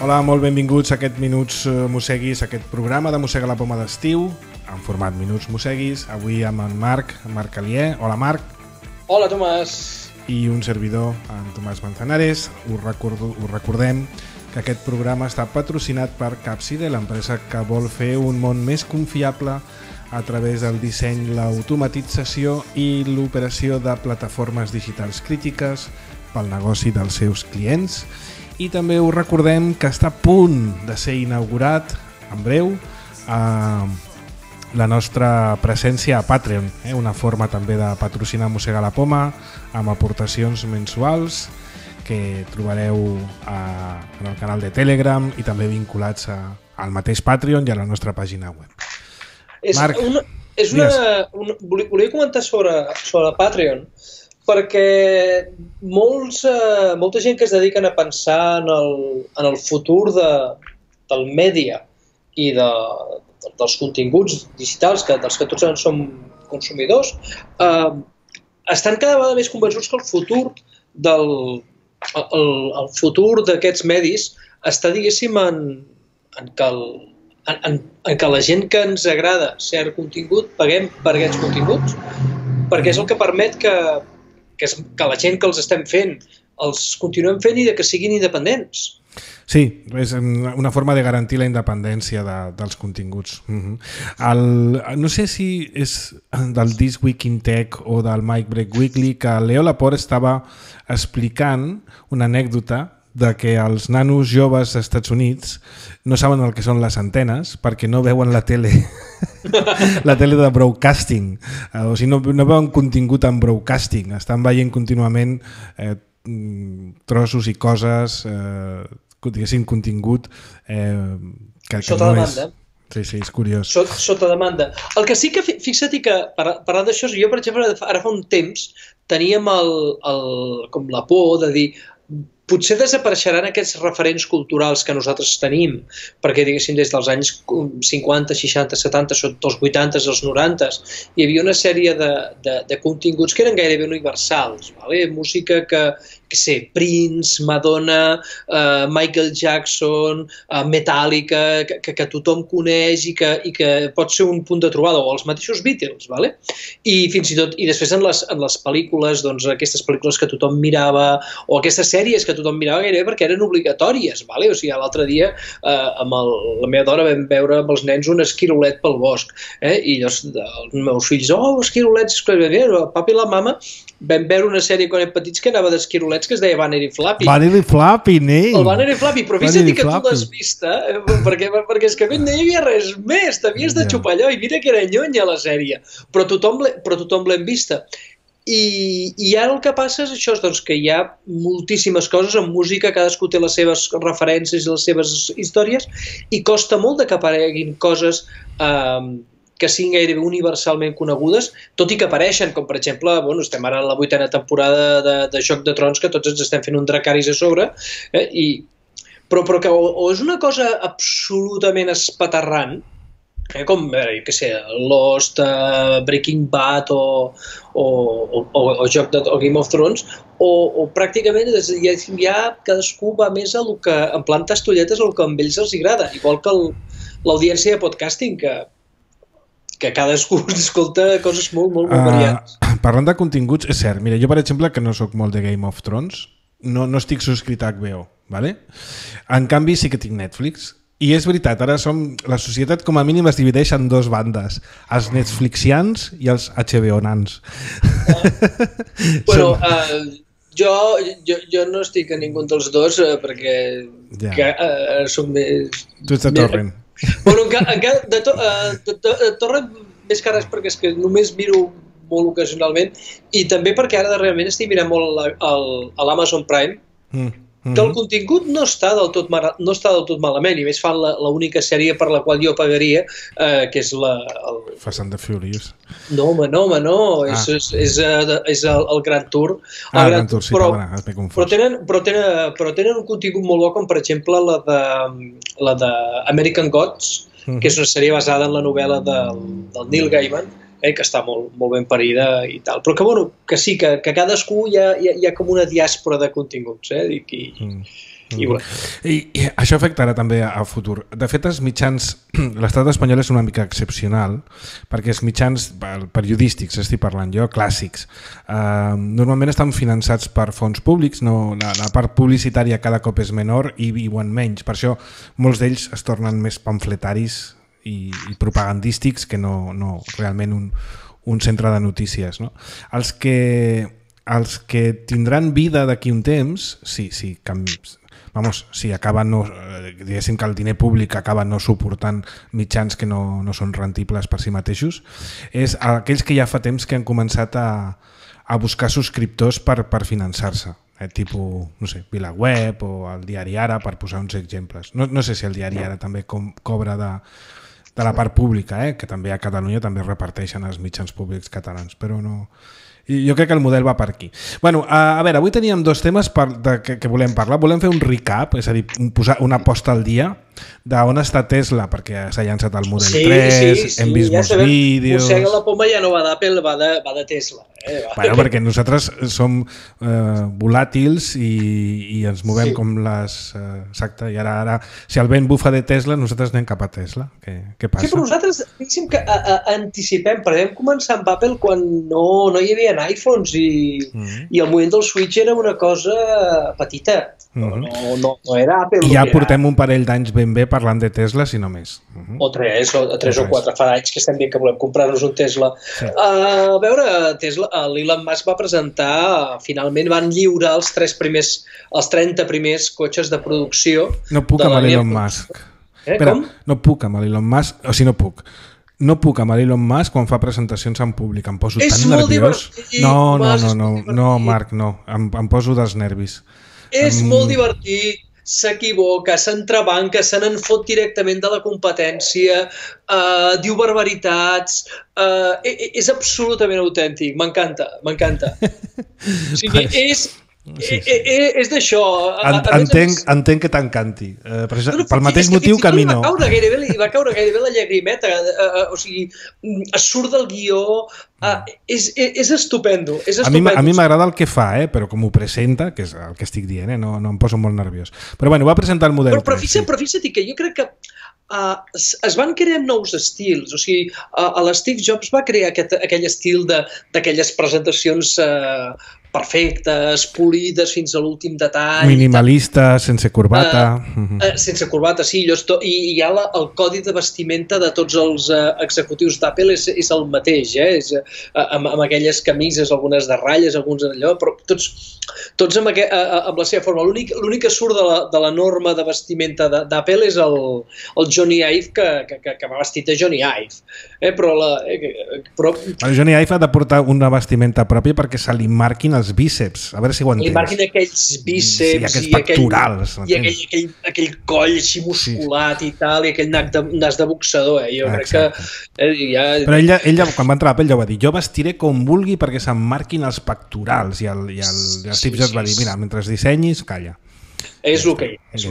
Hola, molt benvinguts a aquest Minuts Mosseguis, aquest programa de Mossega la Poma d'estiu, en format Minuts Mosseguis, avui amb en Marc Alier. Hola, Marc. Hola, Tomàs. I un servidor, en Tomàs Manzanares. Us recordem que aquest programa està patrocinat per Capside, l'empresa que vol fer un món més confiable a través del disseny, l'automatització i l'operació de plataformes digitals crítiques pel negoci dels seus clients. I també us recordem que està a punt de ser inaugurat en breu la nostra presència a Patreon, una forma també de patrocinar Mossega la Poma amb aportacions mensuals que trobareu en el canal de Telegram i també vinculats al mateix Patreon i a la nostra pàgina web. Marc, volia comentar sobre Patreon, perquè molta gent que es dediquen a pensar en el futur del mèdia i dels continguts digitals dels que tots som consumidors, estan cada vegada més convençuts que el futur d'aquests medis està, diguéssim, en que la gent que ens agrada cert contingut paguem per aquests continguts, perquè és el que permet que la gent que els estem fent els continuem fent i que siguin independents. Sí, és una forma de garantir la independència dels continguts. No sé si és del This Week in Tech o del Mike Break Weekly que Leo Laporte estava explicant una anècdota de que els nanos joves als Estats Units no saben el que són les antenes perquè no veuen la tele la tele de broadcasting, o sigui, no veuen contingut en broadcasting, estan veient contínuament trossos i coses, diguéssim, contingut que sota no demanda. Sí, és curiós. Sota demanda. El que sí que, fixa't que, parlant d'això, jo, per exemple, ara fa un temps teníem com la por de dir potser desapareixeran aquests referents culturals que nosaltres tenim, perquè, diguéssim, des dels anys 50, 60, 70, sota els 80, els 90, hi havia una sèrie de continguts que eren gairebé universals, vale? Música que sé, Prince, Madonna, Michael Jackson, Metallica, que tothom coneix i que pot ser un punt de trobada, o els mateixos Beatles, vale? I fins i tot, i després en les pel·lícules, doncs aquestes pel·lícules que tothom mirava, o aquestes sèries que tothom mirava gairebé perquè eren obligatòries, vale? O sigui, l'altre dia amb la meva dona vam veure amb els nens un esquirolet pel bosc, i llavors els meus fills, esquirolets, papi i la mama vam veure una sèrie quan érem petits que anava d'esquirolets que es deia Banner i Flappy. Banner i Flappy, nen! El Banner i Flappy, però fixa't que tu l'has vista, perquè és que no hi havia res més, t'havies de xupar allò, i mira que era nyonya la sèrie, però tothom l'hem vista. I ara el que passa és això, doncs, que hi ha moltíssimes coses en música, cadascú té les seves referències i les seves històries, i costa molt que apareguin coses que siguin gairebé universalment conegudes, tot i que apareixen, com per exemple, estem ara en la 8a temporada de Joc de Trons, que tots ens estem fent un Dracarys a sobre, però que o és una cosa absolutament espaterrant, com, jo què sé, Lost, Breaking Bad o Game of Thrones, o pràcticament ja cadascú va més a lo que, en plan tastolletes, a lo que a ells els agrada, igual que l'audiència de podcasting, que cadascú escolta coses molt variades. Parlant de continguts, és cert, mira, jo per exemple que no sóc molt de Game of Thrones, no estic subscrit a HBO, ¿vale? En canvi sí que tinc Netflix, i és veritat, ara la societat com a mínim es divideix en dos bandes, els Netflixians i els HBO-nans. Bueno, jo no estic a ningú dels dos perquè soc més... Tu ets de Torrent. Bueno, de Torrent més que res perquè és que només miro molt ocasionalment i també perquè ara realment estic mirant molt a l'Amazon Prime que el contingut no està del tot malament, i més fan l'única sèrie per la qual jo pagaria, que és Fast and the Furious. No, home, és el Grand Tour. El Grand Tour, sí, m'he confós. Però tenen un contingut molt bo, com per exemple la de American Gods, que és una sèrie basada en la novel·la del Neil Gaiman, que està molt ben parida i tal. Però que sí, que cadascú hi ha com una diàspora de continguts, i això afectarà també a futur. De fet, els mitjans, l'estat espanyol és una mica excepcional, perquè els mitjans periodístics, estic parlant jo, clàssics, normalment estan finançats per fons públics, la part publicitària cada cop és menor i viuen menys. Per això molts d'ells es tornen més pamfletaris i propagandístics que no realment un centre de notícies, no? Els que tindran vida d'aquí un temps, si acaben diguéssim que el diner públic acaba no suportant mitjans que no són rentibles per si mateixos, és aquells que ja fa temps que han començat a buscar subscriptors per finançar-se, tipus, no sé, VilaWeb o el Diari Ara, per posar uns exemples. No sé si el Diari Ara també cobra de la part pública, que també a Catalunya també reparteixen els mitjans públics catalans, però no... Jo crec que el model va per aquí. Bueno, a veure, avui teníem dos temes que volem parlar. Volem fer un recap, és a dir, posar una posta al dia d'on està Tesla, perquè s'ha llançat el Model 3, hem vist molts vídeos... Mossega la poma ja no va d'Apple, va de Tesla. Bueno, perquè nosaltres som volàtils i ens movem com les... Exacte, i ara, si el vent bufa de Tesla, nosaltres anem cap a Tesla. Què passa? Sí, però nosaltres, diguéssim que anticipem, perquè vam començar amb Apple quan no hi havia iPhones i el moviment del Switch era una cosa petita. No era Apple. I ja portem un parell d'anys ben bé parlant de Tesla, si no més. O tres o quatre, fa anys que estem dient que volem comprar-nos un Tesla. A veure, Tesla, l'Elon Musk va presentar, finalment van lliurar els 30 primers cotxes de producció. No puc amb l'Elon Musk. Com? No puc amb l'Elon Musk, o sigui, no puc. No puc amb l'Elon Musk quan fa presentacions en públic, em poso tan nerviós. No, Marc, no, em poso dels nervis. És molt divertit, s'equivoca, s'entrebanca, se n'en fot directament de la competència, diu barbaritats, és absolutament autèntic, m'encanta. O sigui, és d'això. Entenc que t'encanti, pel mateix motiu que a mi no. Va caure gairebé la llagrimeta, o sigui, es surt del guió, és estupendo. A mi m'agrada el que fa, però com ho presenta, que és el que estic dient, no em poso molt nerviós. Però bueno, va presentar el Model 3. Però fixa't que jo crec que es van crear nous estils, o sigui, l'Steve Jobs va crear aquell estil d'aquelles presentacions perfectes, polides fins a l'últim detall. Minimalista, sense corbata. Sense corbata, sí. I ja el codi de vestimenta de tots els executius d'Apple és el mateix, amb aquelles camises, algunes de ratlles, alguns d'allò, però tots amb la seva forma. L'únic que surt de la norma de vestimenta d'Apple és el Johnny Ive, que va vestit de Johnny Ive. El Johnny Ive ha de portar una vestimenta pròpia perquè se li marquin els bíceps, a veure si ho entens. Li marquin aquells bíceps i aquells pectorals. I aquell coll així musculat i tal, i aquell nas de boxador. Jo crec que... Però ell, quan va entrar a Apple, ja ho va dir, jo vestiré com vulgui perquè se'm marquin els pectorals, i el Steve Jobs va dir, mira, mentre dissenyis, calla. És el que és.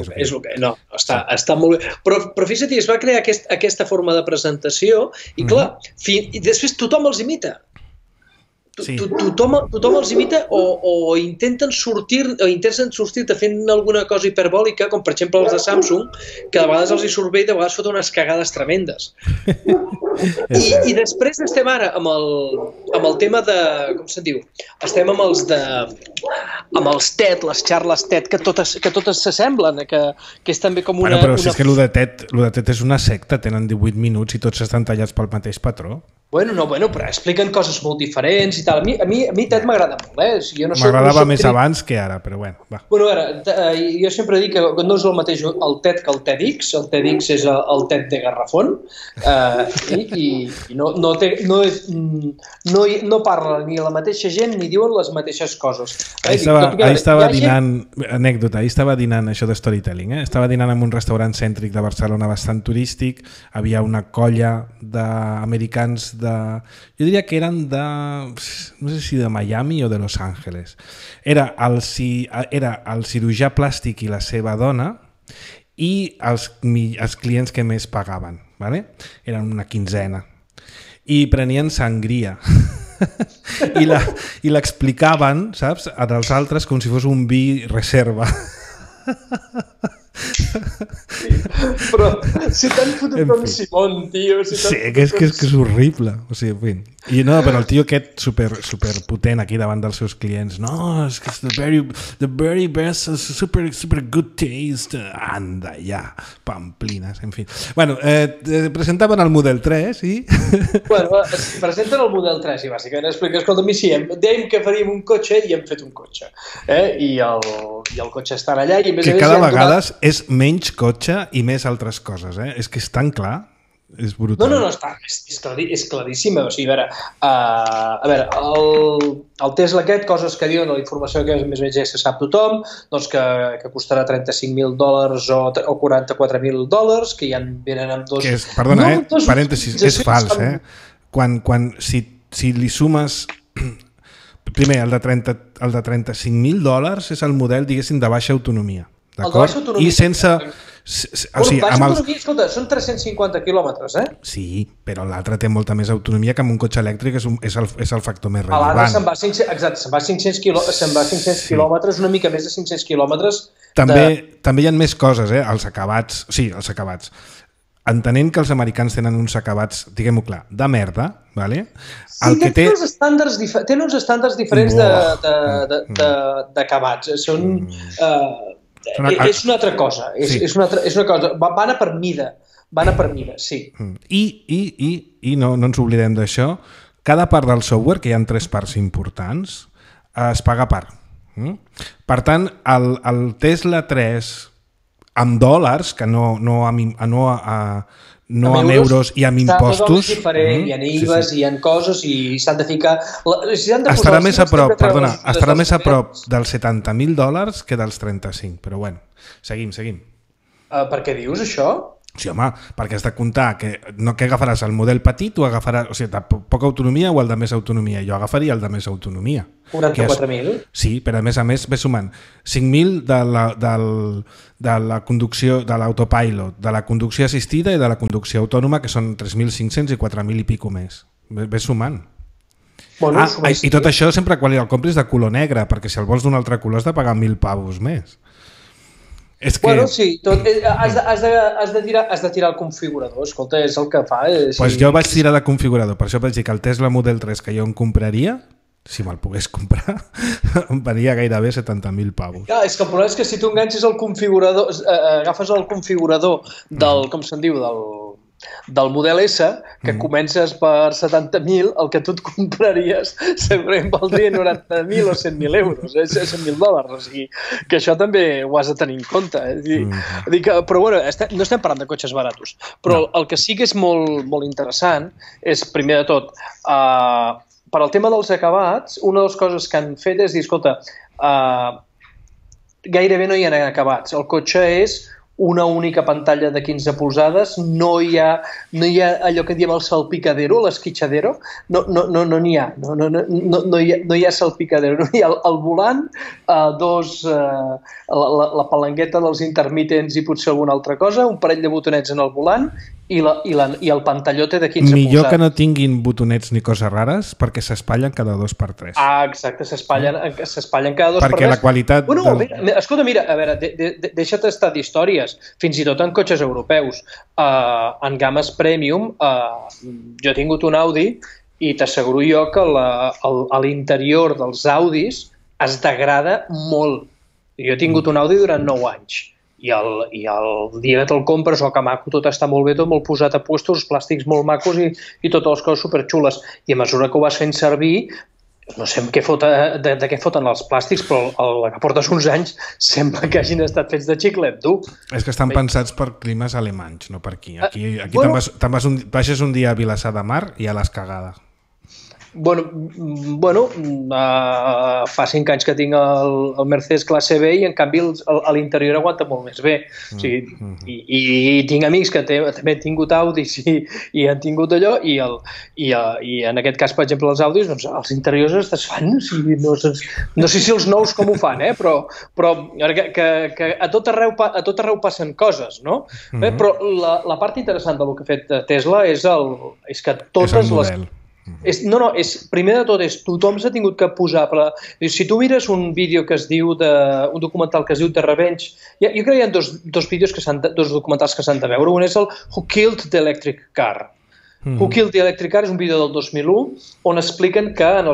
No, està molt bé. Però fixa't, es va crear aquesta forma de presentació i clar, i després tothom els imita. Tothom els imita o intenten sortir-te fent alguna cosa hiperbòlica, com per exemple els de Samsung, que de vegades els hi surt bé i de vegades foten unes cagades tremendes. I després estem ara amb el tema de... com se'n diu? Estem amb els TED, les xarles TED, que totes s'assemblen, que és també com una... Però si és que el de TED és una secta, tenen 18 minuts i tots estan tallats pel mateix patró. Bueno, però expliquen coses molt diferents i tal. A mi TED m'agrada molt, M'agradava més abans que ara, però bueno, va. Bueno, a veure, jo sempre dic que no és el mateix el TED que el TEDx. El TEDx és el TED de Garrafón i no parla ni la mateixa gent ni diuen les mateixes coses. Ahir estava dinant, anècdota, ahir estava dinant això de storytelling, estava dinant en un restaurant cèntric de Barcelona bastant turístic, havia una colla d'americans jo diria que eren no sé si de Miami o de Los Ángeles. Era el cirurgià plàstic i la seva dona i els clients que més pagaven, ¿vale? Eren una quinzena i prenien sangria i l'explicaven, saps, als altres com si fos un vi reserva. Però si t'han fotut com Simón, tio. Sí, que és horrible. O sigui, i no, però el tio aquest super potent aquí davant dels seus clients. No, és que és the very best, super good taste. Anda, ja, pamplines, en fi. Bueno, presentaven el Model 3 i... Bueno, presenten el Model 3 i bàsicament explica, escolta, sí, dèiem que faríem un cotxe i hem fet un cotxe. I el cotxe està allà i a més que cada vegada és menys cotxe i més altres coses, És que és tan clar, és brutal. No, és claríssim. O sigui, a veure, el Tesla aquest, coses que diuen, la informació que més o menys ja se sap tothom, doncs que costarà $35.000 o $44.000, que ja venen amb dos... Perdona, parèntesis, és fals, Si li sumes... Primer, el de $35.000 és el model, diguéssim, de baixa autonomia. D'acord? I sense... autonomia, escolta, són 350 quilòmetres, Sí, però l'altre té molta més autonomia que amb un cotxe elèctric és el factor més rellevant. L'altre se'n va 500 quilòmetres, una mica més de 500 quilòmetres. També hi ha més coses, els acabats. Sí, els acabats. Entenent que els americans tenen uns acabats, diguem-ho clar, de merda, ¿vale? Tenen uns estàndards diferents d'acabats. És una altra cosa. És una cosa. Van a per mida, sí. I no ens oblidem d'això. Cada part del software, que hi ha 3 parts importants, es paga a part. Per tant, el Tesla 3... amb dòlars, que no amb euros i amb impostos. Hi ha IVAs, hi ha coses i s'han de ficar... Estarà més a prop dels $70.000 que dels 35, però bueno, seguim. Per què dius això? Sí, home, perquè has de comptar que agafaràs el model petit o agafaràs, o sigui, de poca autonomia o el de més autonomia. Jo agafaria el de més autonomia. 44.000? Sí, però a més ve sumant 5.000 de la conducció, de l'autopilot, de la conducció assistida i de la conducció autònoma, que són 3.500 i 4.000 i pico més. Ve sumant. Bueno, i tot això sempre quan el compris de color negre, perquè si el vols d'un altre color has de pagar 1.000 pavos més. Bueno, sí, has de tirar el configurador, escolta, és el que fa. Pues jo vaig tirar de configurador, per això vaig dir que el Tesla Model 3 que jo em compraria, si me'l pogués comprar, em venia gairebé 70.000 pavos. Ja, és que el problema és que si tu enganxes el configurador, agafes el configurador del, com se'n diu, del Model S, que comences per 70.000, el que tu et compraries segurament valdria 90.000 o 100.000 euros, $100.000, o sigui, que això també ho has de tenir en compte. Però bueno, no estem parlant de cotxes baratos, però el que sí que és molt interessant és, primer de tot, per al tema dels acabats, una de les coses que han fet és dir, escolta, gairebé no hi ha acabats, el cotxe és una única pantalla de 15 polzades, no hi ha allò que diem el salpicadero, l'esquitxadero, no n'hi ha, no hi ha salpicadero, no hi ha el volant, la palanqueta dels intermitents i potser alguna altra cosa, un parell de botonets en el volant i el pantalló té de 15 polzades. Millor que no tinguin botonets ni coses rares perquè s'espatllen cada 2x3. Ah, exacte, s'espatllen cada 2x3. Perquè la qualitat... Escolta, mira, a veure, deixa't estar d'històries, fins i tot en cotxes europeus. En games premium, jo he tingut un Audi i t'asseguro jo que a l'interior dels Audis es degrada molt. Jo he tingut un Audi durant 9 anys i el dia que te'l compres, que maco, tot està molt bé, tot molt posat a puestos, els plàstics molt macos i totes les coses superxules. I a mesura que ho vas fent servir, no sé de què foten els plàstics, però la que portes uns anys sembla que hagin estat fets de xiclet, tu. És que estan pensats per climes alemanys, no per aquí. Aquí baixes un dia a Vilassar de Mar i a les cagades. Bueno, fa 5 anys que tinc el Mercedes classe B i en canvi a l'interior aguanta molt més bé. O sigui, i tinc amics que també han tingut Audis i han tingut allò i en aquest cas, per exemple, els Audis, doncs els interiors es desfan. O sigui, no sé si els nous com ho fan, però que a tot arreu passen coses, no? Però la part interessant del que ha fet Tesla és que totes les... primer de tot, tothom s'ha tingut que posar... Si tu mires un vídeo que es diu un documental que es diu The Revenge, jo crec que hi ha dos documentals que s'han de veure. Un és el Who Killed the Electric Car. Who Killed the Electric Car és un vídeo del 2001 on expliquen que a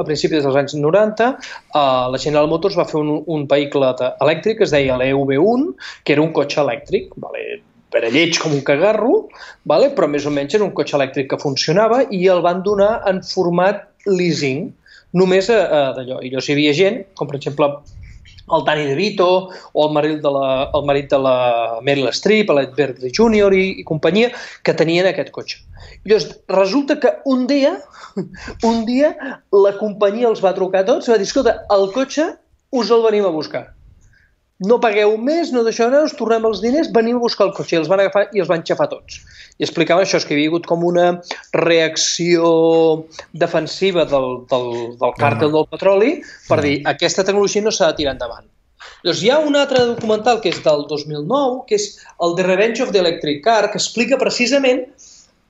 principis dels anys 90 la General Motors va fer un vehicle elèctric que es deia l'EV1, que era un cotxe elèctric, era lleig com un cagarro, però més o menys era un cotxe elèctric que funcionava i el van donar en format leasing, només d'allò. I llavors hi havia gent, com per exemple el Danny DeVito o el marit de la Meryl Streep, l'Ed Berkley Jr. i companyia, que tenien aquest cotxe. I llavors resulta que un dia la companyia els va trucar a tots i va dir, escolta, el cotxe us el venim a buscar. No pagueu més, no deixeu res, us tornem els diners, venim a buscar el cotxe. I els van agafar i els van xafar tots. I explicaven això, que hi havia hagut com una reacció defensiva del càrtel del petroli per dir, aquesta tecnologia no s'ha de tirar endavant. Llavors hi ha un altre documental que és del 2009, que és el The Revenge of the Electric Car, que explica precisament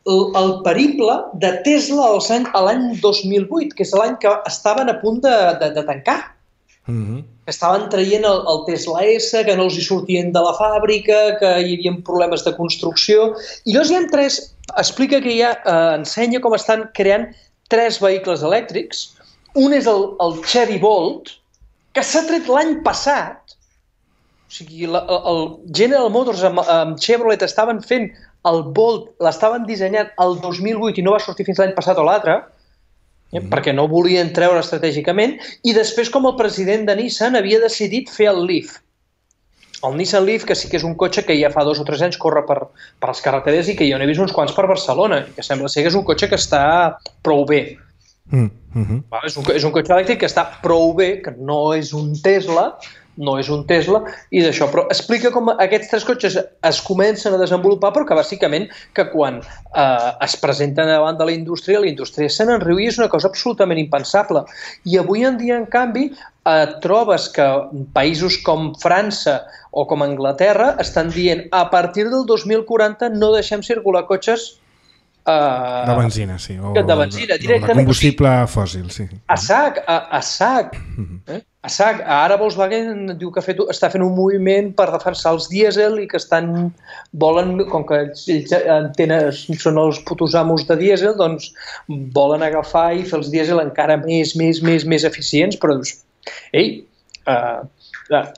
el periple de Tesla a l'any 2008, que és l'any que estaven a punt de tancar. Estaven traient el Tesla S, que no els hi sortien de la fàbrica, que hi havia problemes de construcció. I llavors explica que ensenya com estan creant 3 vehicles elèctrics. Un és el Chevy Bolt, que s'ha tret l'any passat. O sigui, el General Motors amb Chevrolet estaven fent el Bolt, l'estaven dissenyant el 2008 i no va sortir fins l'any passat o l'altre, perquè no volien treure estratègicament, i després com el president de Nissan havia decidit fer el Leaf. El Nissan Leaf, que sí que és un cotxe que ja fa 2 o 3 anys corre per les carreteres i que jo n'he vist uns quants per Barcelona, que sembla ser que és un cotxe que està prou bé. És un cotxe elèctric que està prou bé, que no és un Tesla, i d'això, però explica com aquests 3 cotxes es comencen a desenvolupar, però que bàsicament que quan es presenten davant de la indústria se n'enriu i és una cosa absolutament impensable. I avui en dia, en canvi, trobes que països com França o com Anglaterra estan dient a partir del 2040 no deixem circular cotxes de benzina, sí. O de benzina, directament. De combustible fòssil, sí. A sac. Ara Volkswagen diu que està fent un moviment per defensar els dièsel i que volen, com que ells són els putos amos de dièsel, doncs volen agafar i fer els dièsel encara més eficients, però dius,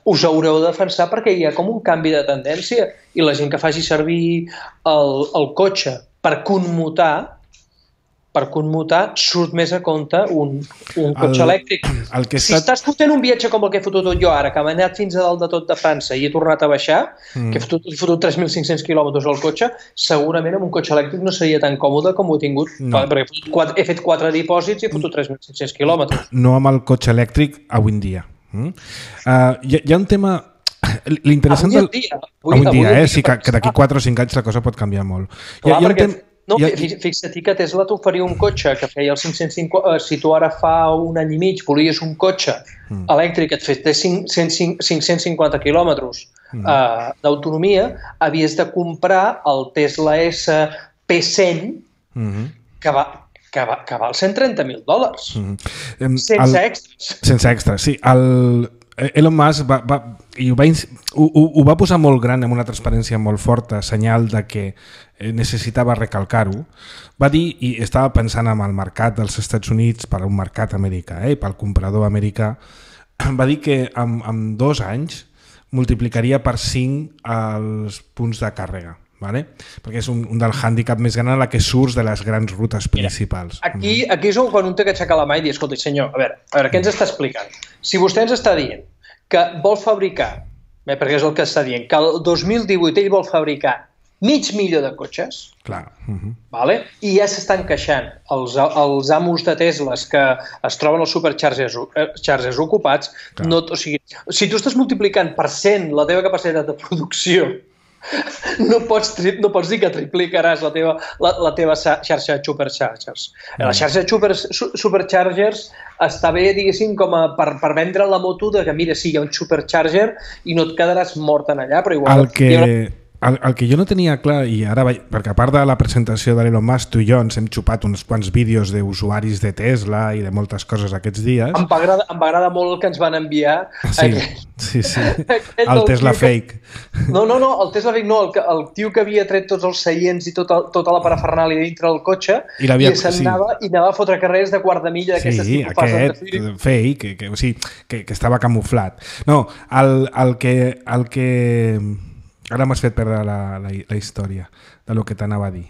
us haureu de defensar perquè hi ha com un canvi de tendència i la gent que faci servir el cotxe per commutar surt més a compte un cotxe elèctric. Si estàs fotent un viatge com el que he fotut jo ara, que m'he anat fins a dalt de tot de França i he tornat a baixar, que he fotut 3.500 quilòmetres al cotxe, segurament amb un cotxe elèctric no seria tan còmode com ho he tingut, perquè he fet 4 dipòsits i he fotut 3.500 quilòmetres. No amb el cotxe elèctric avui en dia. Hi ha un tema... L'interessant avui en dia, sí, que d'aquí 4 o 5 anys la cosa pot canviar molt. Fixa't que Tesla t'oferia un cotxe que feia el 550... Si tu ara fa un any i mig volies un cotxe elèctric que et fes 550 quilòmetres d'autonomia, havies de comprar el Tesla S P100 que val $130.000. Sense extras. Sense extras, sí. Elon Musk ho va posar molt gran amb una transparència molt forta, senyal de que necessitava recalcar-ho. Va dir, i estava pensant en el mercat dels Estats Units per un mercat americà, pel comprador americà, va dir que en 2 anys multiplicaria per 5 els punts de càrrega. Vale? Perquè és un del hàndicap més gran a la que surts de les grans rutes principals. Aquí és quan un té que aixecar la mà i dir, escolta, senyor, a veure, què ens està explicant? Si vostè ens està dient que vol fabricar, perquè és el que està dient, que el 2018 ell vol fabricar 500.000 de cotxes, clar. Vale? I ja s'estan queixant els amos de Tesla que es troben als superchargers ocupats, no, o sigui, si tu estàs multiplicant per 100 la teva capacitat de producció, no pots dir que triplicaràs la teva xarxa de superchargers. La xarxa de superchargers està bé, diguéssim, com per vendre la moto de que, mira, sí, hi ha un supercharger i no et quedaràs mort en allà, però igual... El que jo no tenia clar, i ara perquè a part de la presentació de l'Elon Musk, tu i jo ens hem xupat uns quants vídeos d'usuaris de Tesla i de moltes coses aquests dies. Em va agradar molt el que ens van enviar. Sí. El Tesla fake. No, el Tesla fake no, el tio que havia tret tots els seients i tota la parafernàlia dintre del cotxe i anava a fotre carrers de quart de milla d'aquestes tipus aquest fake, que estava camuflat. No, el que ara m'has fet perdre la història del que t'anava a dir.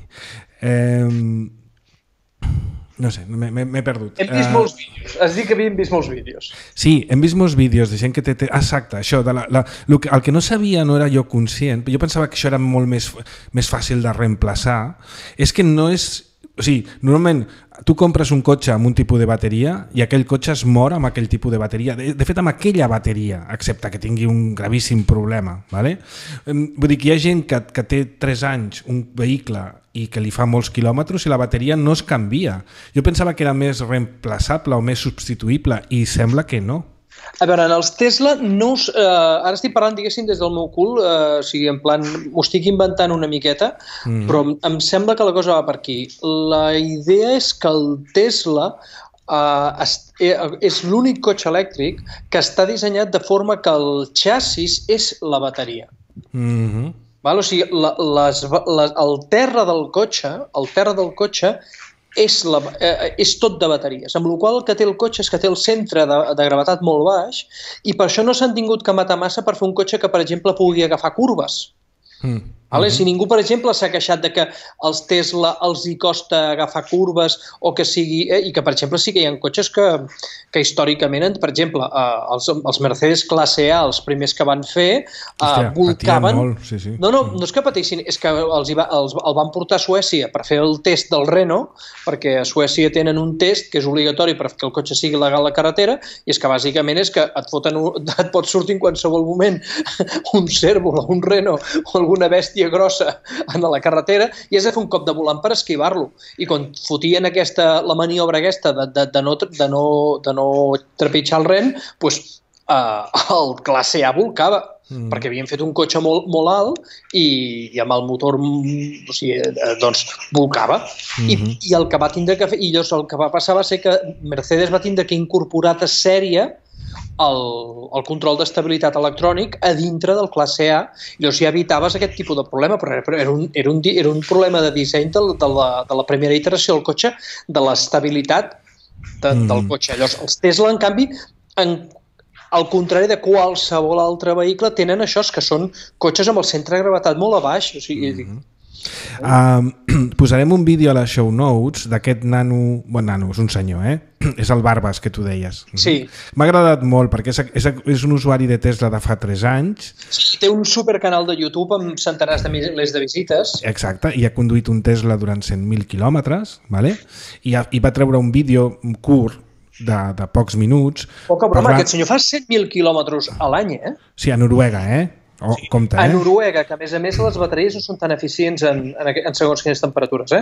No sé, m'he perdut. Hem vist molts vídeos. Has dit que havíem vist molts vídeos. Sí, hem vist molts vídeos de gent que té... Exacte, això. El que no sabia, no era jo conscient, jo pensava que això era molt més fàcil de reemplaçar, és que no és... O sigui, normalment tu compres un cotxe amb un tipus de bateria i aquell cotxe es mor amb aquell tipus de bateria. De fet, amb aquella bateria, excepte que tingui un gravíssim problema. Vale? Vull dir que hi ha gent que té 3 anys un vehicle i que li fa molts quilòmetres i la bateria no es canvia. Jo pensava que era més reemplaçable o més substituïble i sembla que no. A veure, en els Tesla, ara estic parlant, diguéssim, des del meu cul, o sigui, en plan, m'ho estic inventant una miqueta, però em sembla que la cosa va per aquí. La idea és que el Tesla és l'únic cotxe elèctric que està dissenyat de forma que el xassis és la bateria. O sigui, el terra del cotxe és tot de bateries, amb la qual cosa el que té el cotxe és que té el centre de gravetat molt baix i per això no s'han tingut que matar massa per fer un cotxe que, per exemple, pugui agafar curves. Si ningú, per exemple, s'ha queixat de que els Tesla els hi costa agafar curves o que sigui... I que, per exemple, sí que hi ha cotxes que històricament, per exemple, els Mercedes classe A, els primers que van fer, volcaven... No és que patissin, és que el van portar a Suècia per fer el test del Renault, perquè a Suècia tenen un test que és obligatori perquè el cotxe sigui legal a la carretera, i és que bàsicament és que et pot sortir en qualsevol moment un cérvol o un Renault o alguna bèstia grossa a la carretera i has de fer un cop de volant per esquivar-lo. I quan fotien la maniobra aquesta de no trepitjar el ren, el classe A volcava, perquè havien fet un cotxe molt alt i amb el motor volcava. I el que va tindre que fer, i llavors el que va passar va ser que Mercedes va tindre que incorporar de sèrie el control d'estabilitat electrònic a dintre del classe A, i llavors ja evitaves aquest tipus de problema, però era un problema de disseny de la primera iteració del cotxe, de l'estabilitat del cotxe. Llavors els Tesla, en canvi, al contrari de qualsevol altre vehicle, tenen això, que són cotxes amb el centre de gravetat molt a baix. O sigui, posarem un vídeo a les show notes d'aquest nano, és un senyor, és el Barbas que tu deies. Sí. M'ha agradat molt perquè és un usuari de Tesla de fa 3 anys. Sí, té un supercanal de YouTube amb centenars de milers de visites. Exacte, i ha conduït un Tesla durant 100.000 quilòmetres, i va treure un vídeo curt de pocs minuts. Poca broma, aquest senyor fa 100.000 quilòmetres a l'any, Sí, a Noruega, compte, a Noruega, que a més les bateries no són tan eficients en segons quines temperatures,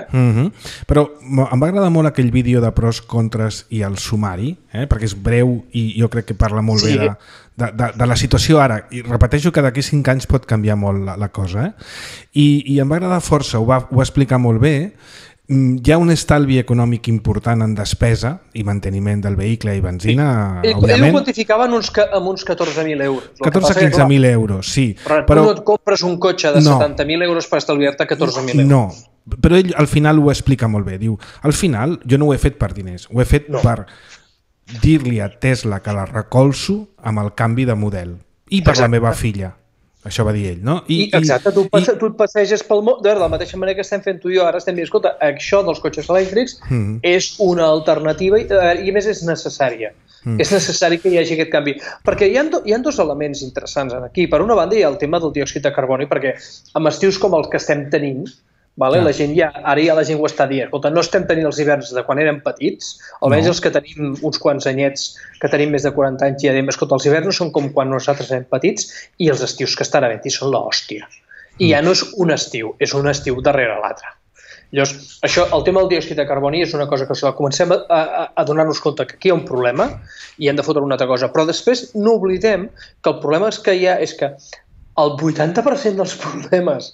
Però em va agradar molt aquell vídeo de pros, contres i el sumari, perquè és breu i jo crec que parla molt bé de la situació ara, i repeteixo que d'aquí 5 anys pot canviar molt la cosa, i em va agradar força, ho va explicar molt bé. Hi ha un estalvi econòmic important en despesa i manteniment del vehicle i benzina, òbviament. Ell ho quantificava amb uns 14.000 euros. 14-15.000 euros, sí. Però tu no et compres un cotxe de 70.000 euros per estalviar-te 14.000 euros. No, però ell al final ho explica molt bé. Diu, al final jo no ho he fet per diners, ho he fet per dir-li a Tesla que la recolzo amb el canvi de model. I per la meva filla. Això va dir ell, no? Exacte, tu et passeges pel món, de la mateixa manera que estem fent tu i jo, ara estem dient, escolta, això dels cotxes elèctrics és una alternativa i a més és necessària. És necessari que hi hagi aquest canvi. Perquè hi ha dos elements interessants aquí. Per una banda hi ha el tema del diòxid de carboni, perquè amb estius com els que estem tenint, vale? La gent ara ja la gent ho està dient. Escolta, no estem tenint els hiverns de quan érem petits, almenys els que tenim uns quants anyets, que tenim més de 40 anys, ja diem, escolta, els hiverns no són com quan nosaltres érem petits i els estius que estan havent-hi són l'hòstia. I ja no és un estiu, és un estiu darrere l'altre. Llavors, això, el tema del diòxid de carboni és una cosa que comencem a donar-nos compte que aquí hi ha un problema i hem de fotre una altra cosa. Però després no oblidem que el problema que hi ha és que el 80% dels problemes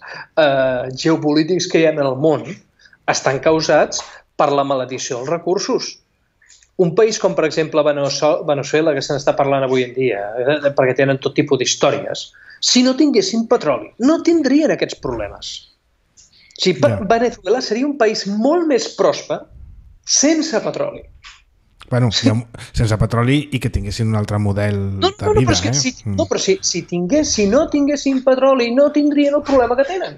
geopolítics que hi ha en el món estan causats per la maledicció dels recursos. Un país com, per exemple, Veneçuela, que se n'està parlant avui en dia, perquè tenen tot tipus d'històries, si no tinguessin petroli, no tindrien aquests problemes. O sigui, Veneçuela seria un país molt més pròsper sense petroli. Bueno, sense petroli i que tinguessin un altre model de vida. Però si no tinguessin petroli no tindrien el problema que tenen.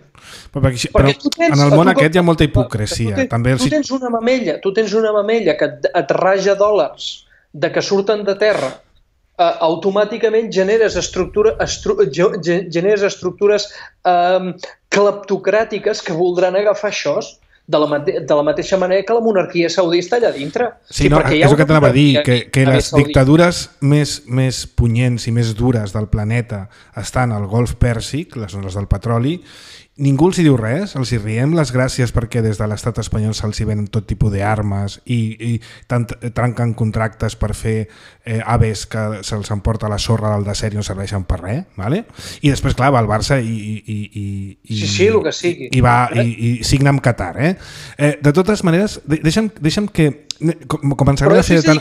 Però en el món aquest hi ha molta hipocresia. Tu tens una mamella que et raja dòlars de que surten de terra, automàticament generes estructures cleptocràtiques que voldran agafar això de la mateixa manera que la monarquia saudista allà dintre. Sí, no, és el que t'anava a dir, que les dictadures més punyents i més dures del planeta estan al Golf Pèrsic, les zones del petroli. Ningú els hi diu res, els hi riem les gràcies perquè des de l'estat espanyol se'ls hi venen tot tipus d'armes i trenquen contractes per fer aves que se'ls emporta la sorra del desert i no serveixen per res, ¿vale? I després, clar, va al Barça i el que sigui. I signa amb Qatar, De totes maneres, deixa'm que començarem a fer... El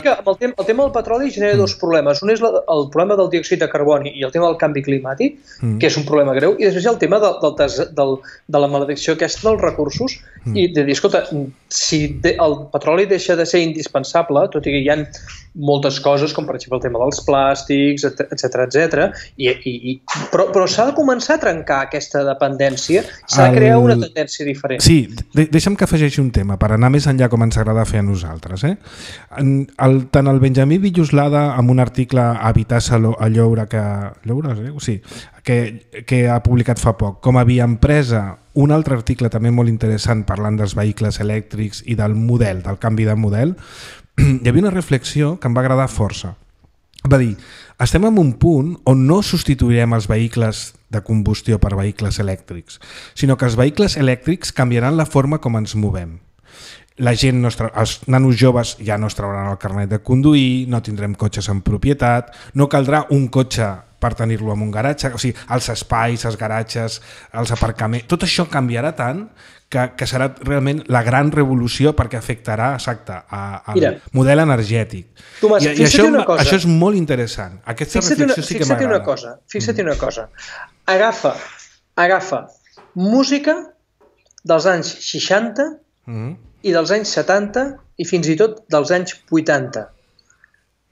tema del petroli genera dos problemes. Un és el problema del diòxid de carboni i el tema del canvi climàtic, que és un problema greu, i després hi ha el tema de la maledicció aquesta dels recursos i de dir, escolta, si el petroli deixa de ser indispensable, tot i que hi ha moltes coses, com per exemple el tema dels plàstics, etc. Però s'ha de començar a trencar aquesta dependència, s'ha de crear una tendència diferent. Sí, deixa'm que afegeixi un tema, per anar més enllà com ens agrada fer a nosaltres. Tant el Benjamí Villoslada, amb un article a Vitassa a Lloure, que ha publicat fa poc, com a Via Empresa, un altre article també molt interessant parlant dels vehicles elèctrics i del model, del canvi de model, hi havia una reflexió que em va agradar força. Va dir, estem en un punt on no substituirem els vehicles de combustió per vehicles elèctrics, sinó que els vehicles elèctrics canviaran la forma com ens movem. La gent, els nanos joves ja no es trauran el carnet de conduir, no tindrem cotxes en propietat, no caldrà un cotxe per tenir-lo en un garatge, o sigui, els espais, els garatges, els aparcaments, tot això canviarà tant que serà realment la gran revolució perquè afectarà, exacte, al model energètic. Tomàs, I això és molt interessant. Aquesta reflexió sí que m'agrada. Fixa't una cosa. Agafa música dels anys 60 i dels anys 70 i fins i tot dels anys 80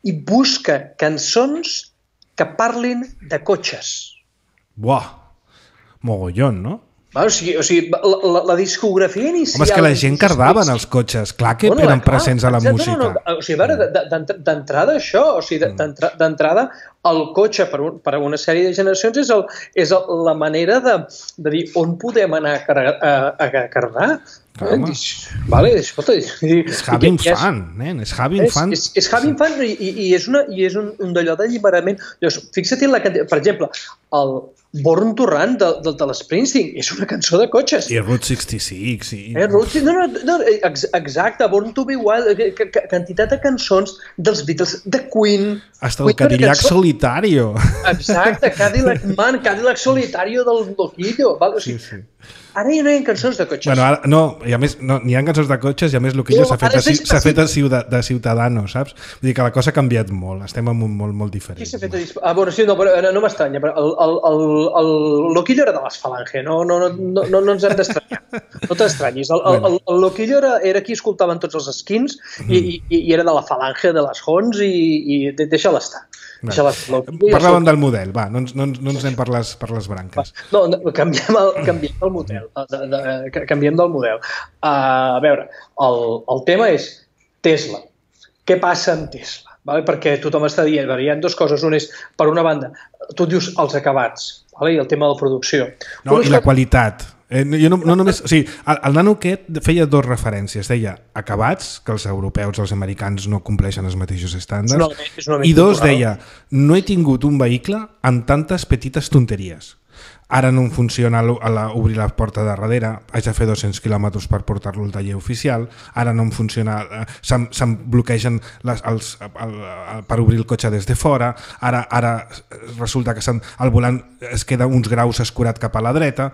i busca cançons que parlin de cotxes. Buah, mogollón, no? O sigui, la discografia inicial... Home, és que la gent cardava en els cotxes, clar que eren presents a la música. O sigui, d'entrada això, o sigui, d'entrada el cotxe per a una sèrie de generacions és la manera de dir on podem anar a cardar. És having fun, nen, és having fun. És having fun i és un d'allò d'alliberament. Fixa't en la quantitat, per exemple, el Born to Run de l'Springsteen és una cançó de cotxes. I Route 66. Exacte, Born to be Wild, quantitat de cançons dels Beatles, de Queen. Hasta el Cadillac Solitario. Exacte, Cadillac Solitario del Loquillo. Sí. Ara ja no hi ha cançons de cotxes. Bueno, ara, no, i a més n'hi ha cançons de cotxes i a més Loquillo s'ha fet de Ciudadano, saps? Vull dir que la cosa ha canviat molt, estem en un món molt diferent. Qui s'ha fet no m'estranya, però el Loquillo era de les Falange, no ens hem d'estranyar. No t'estranyis. El Loquillo era qui escoltaven tots els skins i era de la Falange, de les Hons, i deixa-la estar. Parlàvem del model, va, no ens anem per les branques. No, canviem el model. Canviem del model. A veure, el tema és Tesla. Què passa amb Tesla? Perquè tothom està dient, hi ha dues coses. Una és, per una banda, tu dius els acabats, i el tema de la producció. No, i la qualitat. Jo no només, o sigui, el nano aquest feia dues referències, deia acabats, que els europeus, els americans no compleixen els mateixos estàndards, i dos deia, no he tingut un vehicle amb tantes petites tonteries. Ara no em funciona obrir la porta de darrere, haig de fer 200 quilòmetres per portar-lo al taller oficial, ara no em funciona, se'm bloquegen per obrir el cotxe des de fora, ara resulta que el volant es queda uns graus escurat cap a la dreta.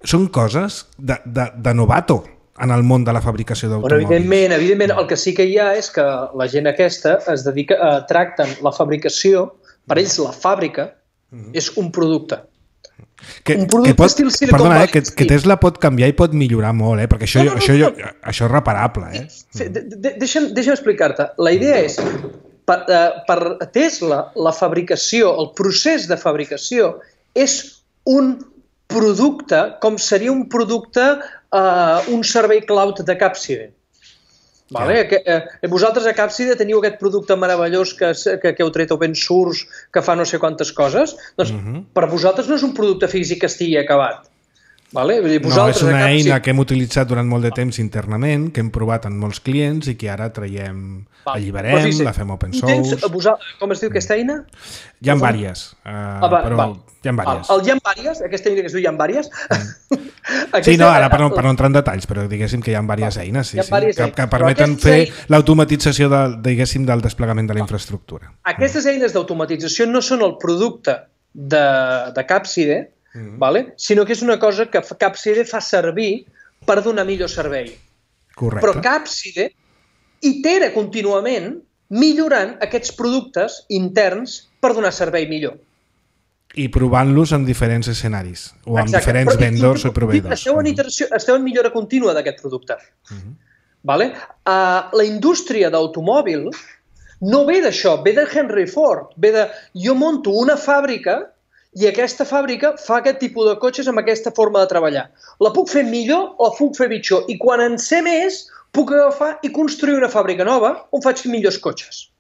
Són coses de novato en el món de la fabricació d'automòbils. Evidentment, el que sí que hi ha és que la gent aquesta es dedica a tracten la fabricació, per ells la fàbrica és un producte. Que Tesla pot canviar i pot millorar molt, perquè això és reparable. Deixa'm explicar-te. La idea és, per Tesla, la fabricació, el procés de fabricació és un producte, com seria un producte, un servei cloud de Capside. Vosaltres a Capside teniu aquest producte meravellós que heu tret open source, que fa no sé quantes coses, doncs per vosaltres no és un producte físic que estigui acabat. No, és una eina que hem utilitzat durant molt de temps internament, que hem provat en molts clients i que ara traiem, alliberem, la fem open source. Com es diu aquesta eina? Hi ha diverses, però hi ha diverses. El hi ha diverses, aquesta eina que es diu hi ha diverses? Sí, no, ara per no entrar en detalls, però diguéssim que hi ha diverses eines que permeten fer l'automatització del desplegament de la infraestructura. Aquestes eines d'automatització no són el producte de Capside, sinó que és una cosa que Capside fa servir per donar millor servei. Correcte. Però Capside itera contínuament millorant aquests productes interns per donar servei millor. I provant-los en diferents escenaris o amb diferents vendors o proveïdors. Esteu en millora contínua d'aquest producte. La indústria d'automòbil no ve d'això, ve de Henry Ford, ve de jo monto una fàbrica i aquesta fàbrica fa aquest tipus de cotxes amb aquesta forma de treballar. La puc fer millor o la puc fer pitjor. I quan en sé més, puc agafar i construir una fàbrica nova on faig millors cotxes.